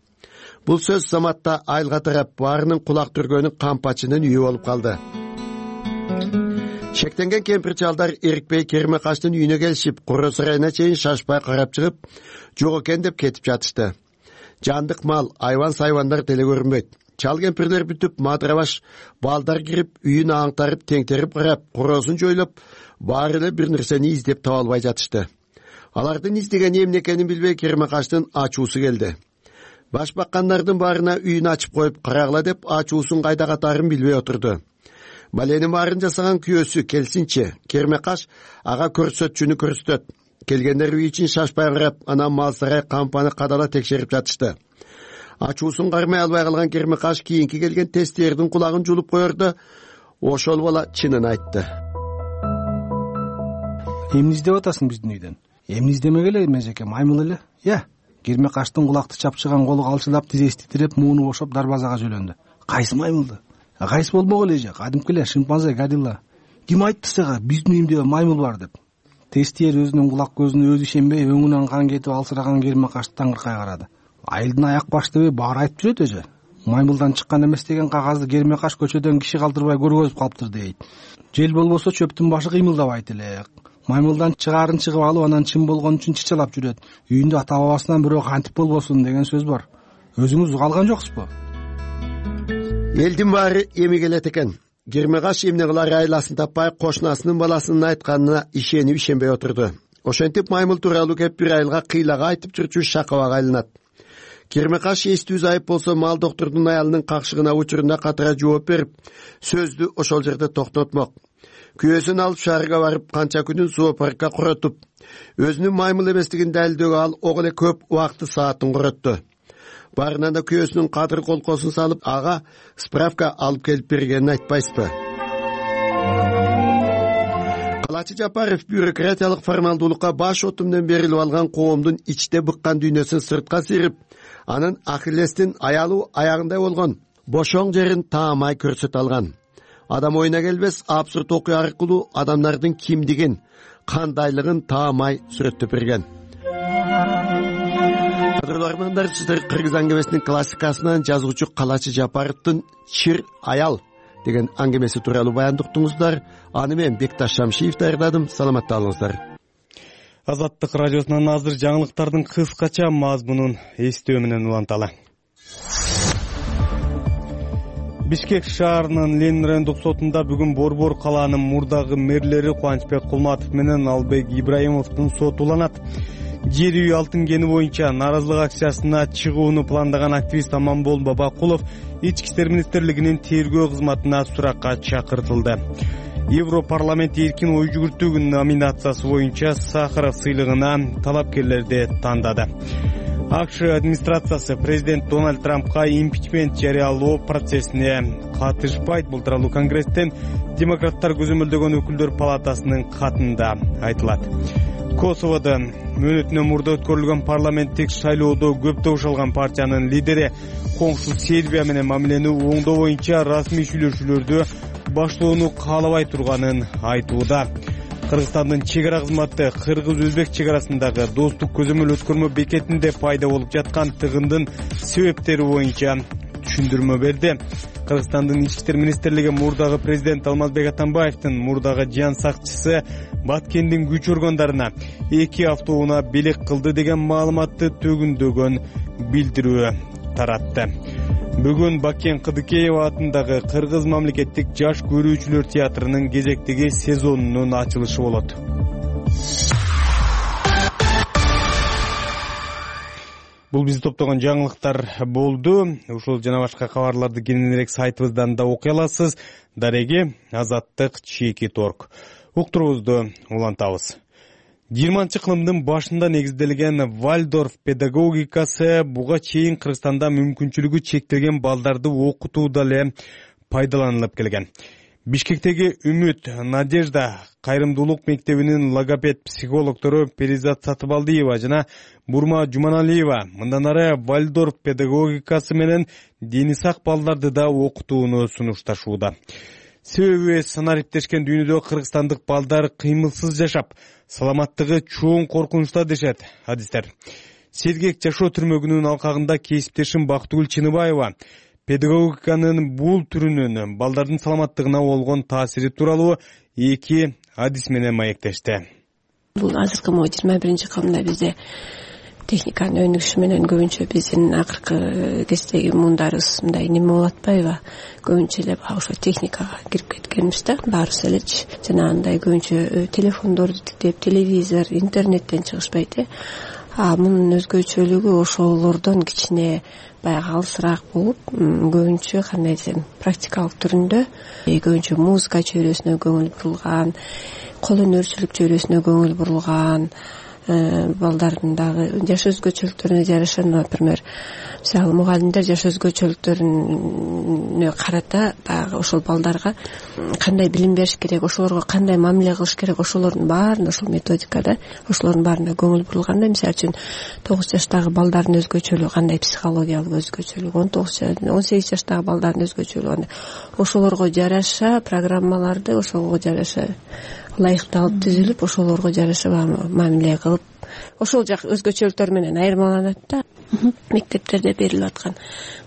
Бул сөз заматта айылга тарап, баарынын кулак түргөнү кампачынын үйү болуп калды. Шектенген кемпир чалдар эрикпей Кермекаштын үйүнө келишип, Куру сарайына чейин шашпай карап чыгып, жок экен деп кетип жатышты. Жандык мал, айван-сайвандар деле көрүнбөйт. Чал кемпирлер бүтүп, мадырабаш балдар кирип, үйүн аңтарып, теңтерип карап, куросун жойлоп, баары эле бир нерсени издеп таба албай жатышты. Алардын издегени эмне экенин билбей Кермекаштын ачуусу келди. Баш баккандардын баарына үйүн ачып коюп карагыла деп ачуусун кайда катарын билбей отурду. Баленин баарын жасаган күйөөсү келсинчи, Кермекаш ага көрсөтчүнү көрсөтөт. Келгендер үй ичин шашпай карап, анан мал сарай кампаны кадала текшерип жатышты. Ачуусун кармай албай калган Кермекаш кийинки келген тесттердин кулагын жулуп коерду. Ошол бала чынын айтты. Эмне издеп атасың биздин үйдөн? Эмне издемек эле, межеке, маймыл эле. Кермекаштын кулакты чапчыган колу калчылап, тизеси титиреп, мууну бошоп дарбазага жөлөндү. Кайсы маймылды? Кайсы болмок эле же? Кадимки эле шимпанзе, горилла. Ким айтты сага биздин үйүмдө маймыл бар деп? Тестиер өзүнүн кулак көзүнө өзү ишенбей, өңүнөн кан кетип алсыраган Кермекашты таңыркай карады. Айылдын аяк баш дебей баары айтып жүрөт эже. Маймылдан чыккан эмес деген кагазды Кермекаш көчөдөн киши калтырбай көргөзүп калыптыр дейт. Жел болбосо чөптүн башы кыймылдабайт эле. Маймылдан чыгаарын чыгып алып, анан чын болгон үчүн чычалап жүрөт. Үйүндө ата бабасынан бирөө кантип болбосун деген сөз бар. Өзүңүз угалган жоксузбу? Элдин баары эми келет экен. Кермекаш эмне кылар айласын таппай, кошунасынын баласынын айтканына ишенип ишенбей отурду. Ошентип маймыл тууралуу кеп бир айылга кыйлага айтып жүрчү шакабага айланат. Кермекаш эстүү зайып болсо, мал доктурдун аялынын какшыгына учурунда катара жооп берип, сөздү ошол жерде токтотмок. Күйөөсүн алып шаарга барып, канча күнүн зоопаркка куротуп, өзүнүн маймыл эместигин далилдөөгө ал ого эле көп убакты саатын куротту. Баарынан да күйөөсүнүн кадыр колкосун салып, ага справка алып келип бергенин айтпайсызбы? Калачы Жапаров бюрократиялык формалдуулукка баш отумдон берилип алган коомдун ичте быккан дүйнөсүн сыртка сыйрып, анын Ахиллестин аялуу аягындай болгон бошоң жерин таамай көрсөтө алган. Адам оюна келбес абсурд окуя аркылуу адамдардын кимдигин, кандайлыгын таамай сүрөттөп берген. Кадырлармандар, сиздер Кыргыз аңгемесинин классикасынан жазуучу Калачы Жапаровдун «Чир аял» деген аңгемеси тууралуу баян уктуңуздар. Аны мен Бекташ Шамшиев даярдадым. Саламатта болуңуздар. Азаттык радиосунан азыр жаңылыктардын кыскача мазмунун эстөө менен уланталы. Бишкек шаарынын Ленин райондук сотунда бүгүн Борбор калаанын мурдагы мэрлери Кубанычбек Кулматов менен Албек Ибраимовдун соту уланат. Жер үй алтын кени боюнча нааразылык акциясына чыгууну пландаган активист Аманбол Бабакулов Ички иштер министрлигинин тергөө кызматына суракка чакыртылды. Европарламент эркин ой жүгүртүү номинациясы боюнча Сахаров сыйлыгына талапкерлерди тандады. АКШ администрациясы президент Дональд Трампка импичмент жарыялоо процессине катышпайт. Бул тууралуу Конгресстен демократтар көзөмөлдөгөн өкүлдөр палатасынын катында айтылат. Косоводо мөөнөтүнөн мурда өткөрүлгөн парламенттик шайлоодо көп добуш алган партиянын лидери коңшу Сербия менен мамилени оңдоо боюнча расмий сүйлөшүүлөрдү баштоону каалабай турганын айтууда. Кыргызстандын чек ара кызматы кыргыз-өзбек чек арасындагы достук көзөмөл өткөрмө бекетинде пайда болуп жаткан тыгындын себептери боюнча түшүндүрмө берди. Кыргызстандын ички иштер министрлиги мурдагы президент Алмазбек Атамбаевдин мурдагы жан сакчысы Баткендин күч органдарына 2 автоунаа белек кылды деген маалыматты төгүндөгөн билдирүү таратты. Бүгүн Бакен Кыдыкеева атындагы Кыргыз мамлекеттик жаш көрүүчүлөр театрынын кезектеги сезонунун ачылышы болот. Бул бизди топтогон жаңылыктар болду. Ушул жана башка кабарларды кененирээк сайтыбыздан да окуй аласыз. Дареги Азаттык /Чеки торг. Уктуруубузду улантабыз. 20-кылымдын башында негизделген Вальдорф педагогикасы буга чейин Кыргызстанда мүмкүнчүлүгү чектелген балдарды окутууда эле пайдаланылып келген. Бишкектеги Үмүт, Надежда кайрымдуулук мектебинин логопед психологдору Перизат Сатыбалдиева жана Бурма Жуманалиева мындан ары Вальдорф педагогикасы менен дени сак балдарды да окутууну сунушташууда. Себеби санариптешкен дүйнөдө кыргызстандык балдар кыймылсыз жашап, саламаттыгы чоң коркунучта дешет адистер. Сергек жашоо түрмөгүнүн алкагында кесиптешим Бактыгүл Чыныбаева педагогиканын бул түрүнүн балдардын саламаттыгына болгон таасири тууралуу эки адис менен маектешти. Бул азыркы 21-кылымда бизде техниканын өнүгүшү менен көбүнчө биздин акыркы кездеги муундарыбыз мындай неме болуп атпайбы? Көбүнчө эле ошо техникага кирип кеткенбиз да, баарыбыз элечи. Жанагындай көбүнчө телефондорду тиктеп, телевизор, интернеттен чыгышпайт э. Мунун өзгөчөлүгү ошолордон кичине баягы алысыраак болуп, көбүнчө кандай десем, практикалык түрүндө, көбүнчө музыка чөйрөсүнө көңүл бурулган, кол өнөрчүлүк чөйрөсүнө көңүл бурулган, балдардын дагы жаш өзгөчөлүктөрүнө жараша, например, мисалы мугалимдер жаш өзгөчөлүктөрүнө карата дагы ошол балдарга кандай билим бериш керек, ошолорго кандай мамиле кылыш керек, ошолордун баарына ошол методикада, ошолордун баарына көңүл бурулганда, мисалы үчүн 9 жаштагы балдардын өзгөчөлүгү кандай, психологиялык өзгөчөлүгү, 18 жаштагы балдардын өзгөчөлүгү кандай, ошолорго жараша программаларды ошого жараша ылайыкталып түзүлүп, ошолорго жараша мамиле кылып, ошол жак өзгөчөлүктөр менен айырмаланат да. Мектептерде берилип аткан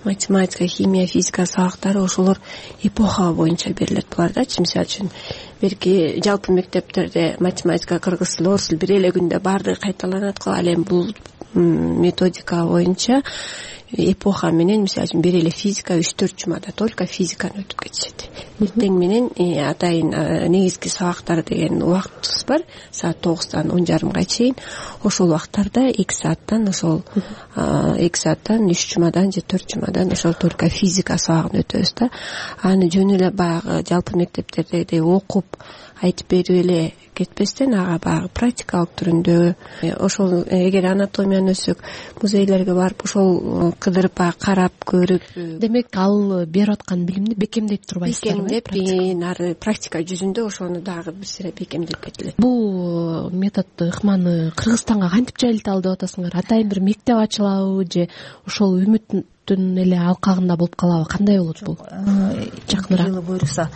математика, химия, физика сабактары ошолор эпоха боюнча берилет булардачы. Мисалы үчүн берки жалпы мектептерде математика, кыргыз тили, орус тили бир эле күндө баардыгы кайталанат го. Ал эми бул методика боюнча эпоха менен, мисалы үчүн бир эле физика 3-4 жумада только физиканы өтүп кетишет. Эртең менен атайын негизги сабактар деген убактыбыз бар, саат 9-тан 10:30 чейин. Ошол убактарда 2 сааттан ошол 2 сааттан 3 жумадан же 4 жумадан ошол только физика сабагын өтөбүз да. Аны жөн эле баягы жалпы мектептердегидей окуп айтып берип эле кетпестен, ага баягы практикалык түрүндө, ошол эгер анатомияны өссөк, музейлерге барып ошол кыдырып карап көрүп, демек ал берип аткан билимди бекемдеп турбайсыздарбы? Бекемдеп, ары практика жүзүндө ошону дагы бир сыйра бекемдеп кетилет. Бул методду, ыкманы Кыргызстанга кантип жайылталы деп атасыңар? Атайын бир мектеп ачылабы же ошол Үмүттүн эле алкагында болуп калабы? Кандай болот бул? Жакыныраак жылы буюрса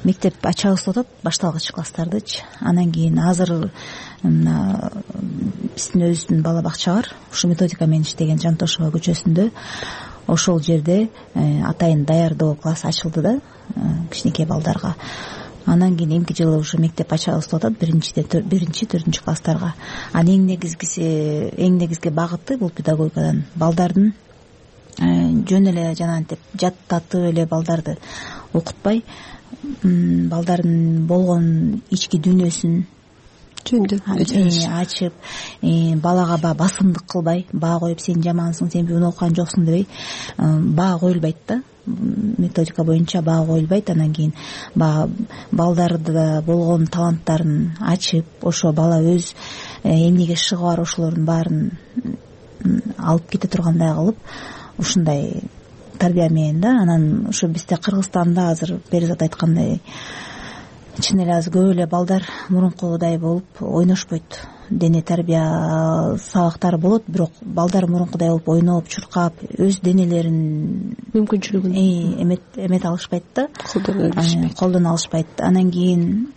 мектеп ачабыз деп атат, башталгыч класстардычы. Анан кийин азыр биздин өзүбүздүн бала бакча бар, ушу методика менен иштеген Жантошева көчөсүндө. Ошол жерде атайын даярдоо класс ачылды да, кичинекей балдарга. Анан кийин эмки жылы ушу мектеп ачабыз деп атат, 1-4 класстарга. Анын эң негизги багыты бул педагогикадан балдардын жөн эле жанагынтип жаттатып эле балдарды окутпай, балдардын болгон ички дүйнөсүн ачып, балага басымдык кылбай, баа коюп сен жамансың, сен буну окуган жоксуң дебей, баа коюлбайт да. Методика боюнча баа коюлбайт. Анан кийин балдарда болгон таланттарын ачып, ошо бала өз эмнеге шыгы бар ошолордун баарын алып кете тургандай кылып, ушундай тарбия менен да. Анан ушу бизде Кыргызстанда азыр Перизат айткандай чын эле азыр көп эле балдар мурункудай болуп ойношпойт. Дене тарбия сабактары болот, бирок балдар мурункудай болуп ойноп, чуркап, өз денелерин мүмкүнчүлүгүн эмете алышпайт да, колдоно алышпайт. Анан кийин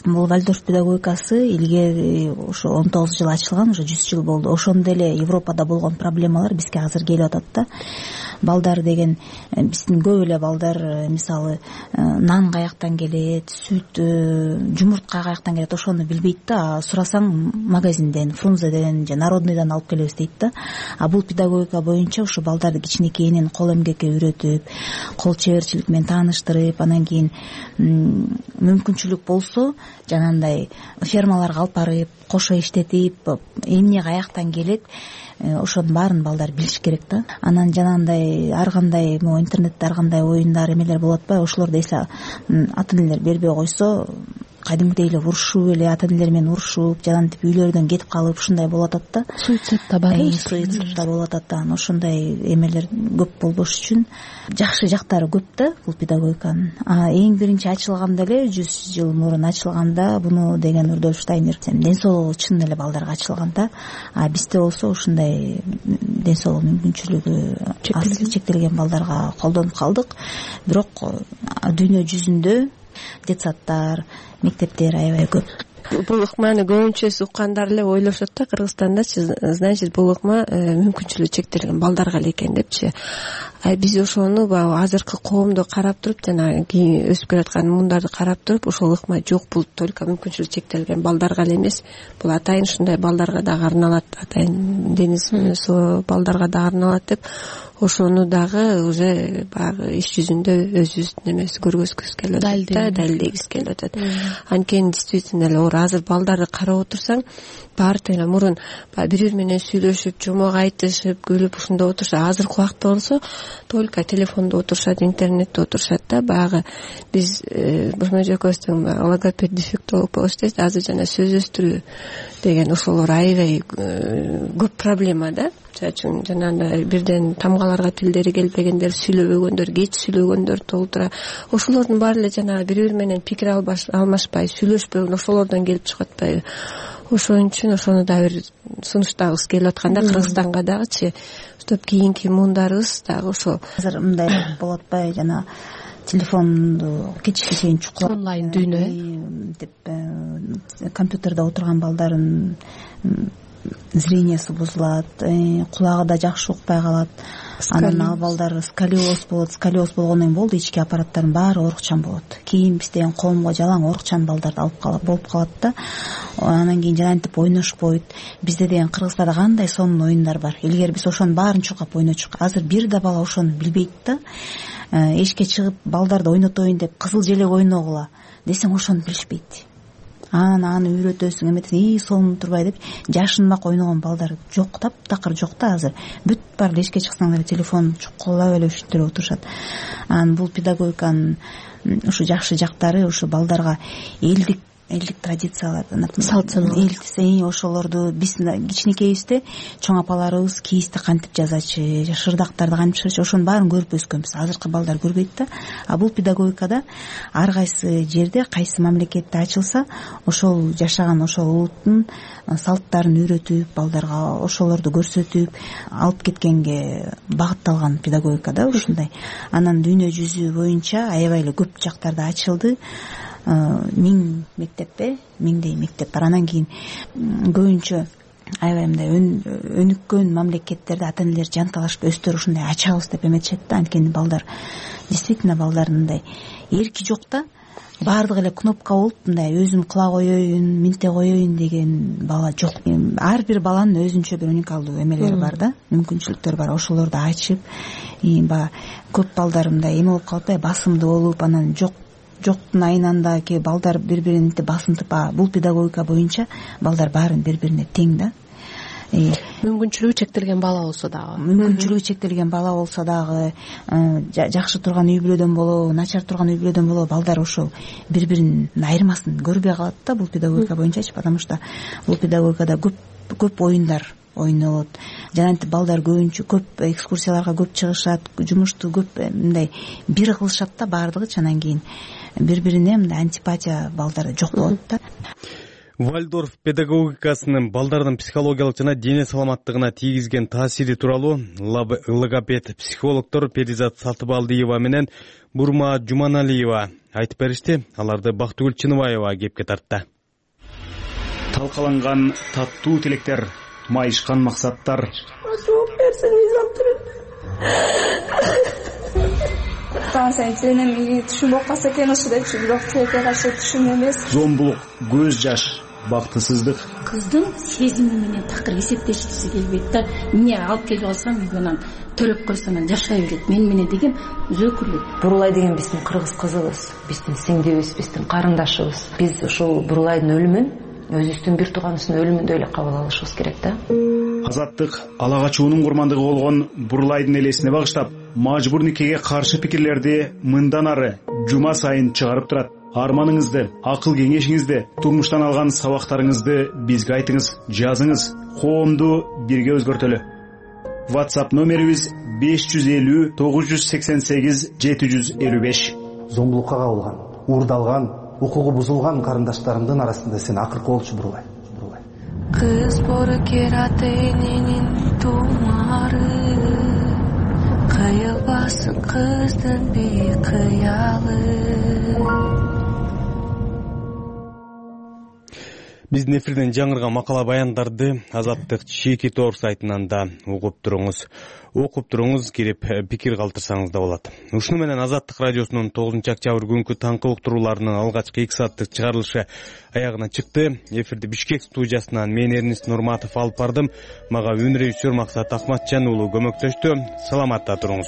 бул Вальдорф педагогикасы илгери ошо 19 жыл ачылган, уже 100 жыл болду. Ошондо эле Европада болгон проблемалар бизге азыр келип атат да. Балдар деген, биздин көп эле балдар мисалы нан каяктан келет, сүт, жумуртка каяктан келет, ошону билбейт да. Сурасаң магазинден, Фрунзеден же Народныйдан алып келебиз дейт да. Бул педагогика боюнча ушу балдарды кичинекейинен кол эмгекке үйрөтүп, кол чеберчилик менен тааныштырып, анан кийин мүмкүнчүлүк болсо жанагындай фермаларга алып барып, кошо иштетип, эмне каяктан келет, ошонун баарын балдар билиш керек да. Анан жанагындай ар кандай интернетте ар кандай оюндар эмелер болуп атпайбы, ошолорду эсе ата энелер бербей койсо кадимгидей эле урушуп эле ата энелер менен урушуп жанагынтип үйлөрүнөн кетип калып ушундай болуп атат да. Суицид да бар. Суицид да болуп атат да. Ошондой эмелер көп болбош үчүн жакшы жактары көп да бул педагогиканын. Эң биринчи ачылганда эле 100 жыл мурун ачылганда буну деген Рудольф Штайнер ден соолугу чын эле балдарга ачылган да. Бизде болсо ушундай ден соолугу мүмкүнчүлүгү чектелген балдарга колдонуп калдык. Бирок дүйнө жүзүндө детсадтар, мектептер аябай көп. Бул ыкманы көбүнчө уккандар эле ойлошот да Кыргызстандачы, значит бул ыкма мүмкүнчүлүгү чектелген балдарга эле экен депчи. Биз ошону баягы азыркы коомду карап туруп, жана кийин өсүп келаткан мундарды карап туруп, ошол ыкма жок, бул только мүмкүнчүлүгү чектелген балдарга эле эмес, бул атайын ушундай балдарга дагы арналат, атайын дениз суу балдарга дагы арналат деп ошону дагы уже баягы иш жүзүндө өзүбүздүн эмеси көргөзгүбүз келип атат да, далилдегибиз келип атат. Анткени действительно эле оор азыр балдарды карап отурсаң, баары эле мурун бири бири менен сүйлөшүп, жомок айтышып, күлүп ушундай отурса, азыркы убакта болсо только телефондо отурушат, интернетте отурушат да. Баягы биз Бурмажы экөөбүздүн логопед дефектолог болуш дейбиз, азыр жана сөз өстүрүү деген ошолор аябай көп проблема да. Чачын жанагындай бирден тамгаларга тилдери келбегендер, сүйлөбөгөндөр, кеч сүйлөгөндөр толтура. Ошолордун баары эле жанагы бири бири менен пикир алмашпай, сүйлөшпөгөн ошолордон келип чыгып атпайбы? Ошон үчүн ошону да бир сунуштагыбыз келип атканда Кыргызстанга дагычы, чтоб кийинки муундарыбыз дагы ошо азыр мындай болуп атпайбы, жана телефонду кечке чейин чукулап онлайн дүйнө деп компьютерде отурган балдардын зрениясы бузулат, кулагы да жакшы укпай калат. Анан ал балдар сколиоз болот. Сколиоз болгондон кийин болду, ички аппараттардын баары оорукчан болот. Кийин биз деген коомго жалаң оорукчан балдарды болуп калат да. Анан кийин жанагынтип ойношпойт. Бизде деген Кыргызстанда кандай сонун оюндар бар. Илгери биз ошонун баарын чукап ойночук. Азыр бир да бала ошону билбейт да. Эшикке чыгып балдарды ойнотоюн деп кызыл желек ойногула десең ошону билишпейт. Аны үйрөтөсүң, эметесиң, сонун турбай деп жашынмак ойногон балдар жок, таптакыр жок да азыр. Бүт бар эле эшикке чыксаң эле телефон чукулап эле ушинтип эле отурушат. Бул педагогиканын ушу жакшы жактары ушу балдарга элдик традициялар, ошолорду биз кичинекейибизде чоң апаларыбыз кийизди кантип жазачы, шырдактарды кантип чыгарчы, ошонун баарын көрүп өскөнбүз. Азыркы балдар көрбөйт да. Бул педагогикада ар кайсы жерде, кайсы мамлекетте ачылса, ошол жашаган ошол улуттун салттарын үйрөтүп, балдарга ошолорду көрсөтүп алып кеткенге багытталган педагогика да ушундай. Анан дүйнө жүзү боюнча аябай эле көп жактарда ачылды. 1000 миңдей мектеп бар. Анан кийин көбүнчө аябай мындай өнүккөн мамлекеттерде ата энелер жанталашып өздөрү ушундай ачабыз деп эметишет да. Анткени балдар действительно балдардын мындай эрки жок да. Баардыгы эле кнопка болуп мындай өзүм кыла коеюн, минте коеюн деген бала жок. Ар бир баланын өзүнчө бир уникалдуу эмелери бар да, мүмкүнчүлүктөрү бар. Ошолорду ачып, баягы көп балдар мындай эме болуп калат да, басымдуу болуп, анан жоктун айынан ки балдар бири-бирин басынтып, бул педагогика боюнча балдар баарын бири-бирине тең да. Мүмкүнчүлүгү чектелген бала болсо дагы, жакшы турган үй бүлөдөн болобу, начар турган үй бүлөдөн болобу, балдар ошол бири-биринин айырмасын көрбөй калат да бул педагогика боюнчачы, потому что бул педагогикада көп оюндар ойнолот. Жанагынтип балдар көбүнчө көп экскурсияларга көп чыгышат, жумушту көп мындай бир кылышат да баардыгычы. Анан кийин бири-бирине мындай антипатия балдарда жок болот да. Вальдорф педагогикасынын балдардын психологиялык жана дене саламаттыгына тийгизген таасири тууралуу логопед психологдор Перизат Салтыбалдиева менен Бурма Жуманалиева айтып беришти. Аларды Бактыгүл Чыныбаева кепке тартты. Талкаланган таттуу тилектер, майышкан максаттар. Жооп берсеңиз сен эми түшүнбөй калса экен ошо депчи, бирок тилекке каршы түшүн эмес. Зомбулук, көз жаш, бактысыздык. Кыздын сезими менен такыр эсептешкиси келбейт да. Эмне алып келип алсам үйгө төлөп койсом жашай берет. Мен менен деген өзөкүрлүк. Бурулай деген биздин кыргыз кызыбыз, биздин сиңдибиз, биздин карындашыбыз. Биз ошол Бурулайдын өлүмүн өзүбүздүн бир тууганыбыздын өлүмүндөй эле кабыл алышыбыз керек да. Азаттык ала качуунун курмандыгы болгон Бурулайдын элесине багыштап, мажбур никеге каршы пикирлерди мындан ары жума сайын чыгарып турат. арманыңызды, акыл кеңешиңизди, турмуштан алган сабактарыңызды бизге айтыңыз, жазыңыз. Коомду бирге өзгөртөлү. WhatsApp номерибиз 550 988 755. Зомбулукка кабылган, уурдалган, укугу бузулган карындаштарымдын арасында сен акыркы болчу Бурулай. Кыз бору кераты эненин тумары, кыйылбасын кыздын бейкыялы. Биздин эфирден жаңырган макала баяндарды Азаттык Чеки Тор сайтынан да окуп туруңуз, кирип пикир калтырсаңыз да болот. Ушуну менен Азаттык радиосунун 9 октябрь күнкү таңкы уктурууларынын алгачкы 2 сааттык чыгарылышы аягына чыкты. Эфирди Бишкек студиясынан мен Эрнис Нурматов алып бардым. Мага үн режиссер Максат Акматжан уулу көмөктөштү. Саламатта туруңуз.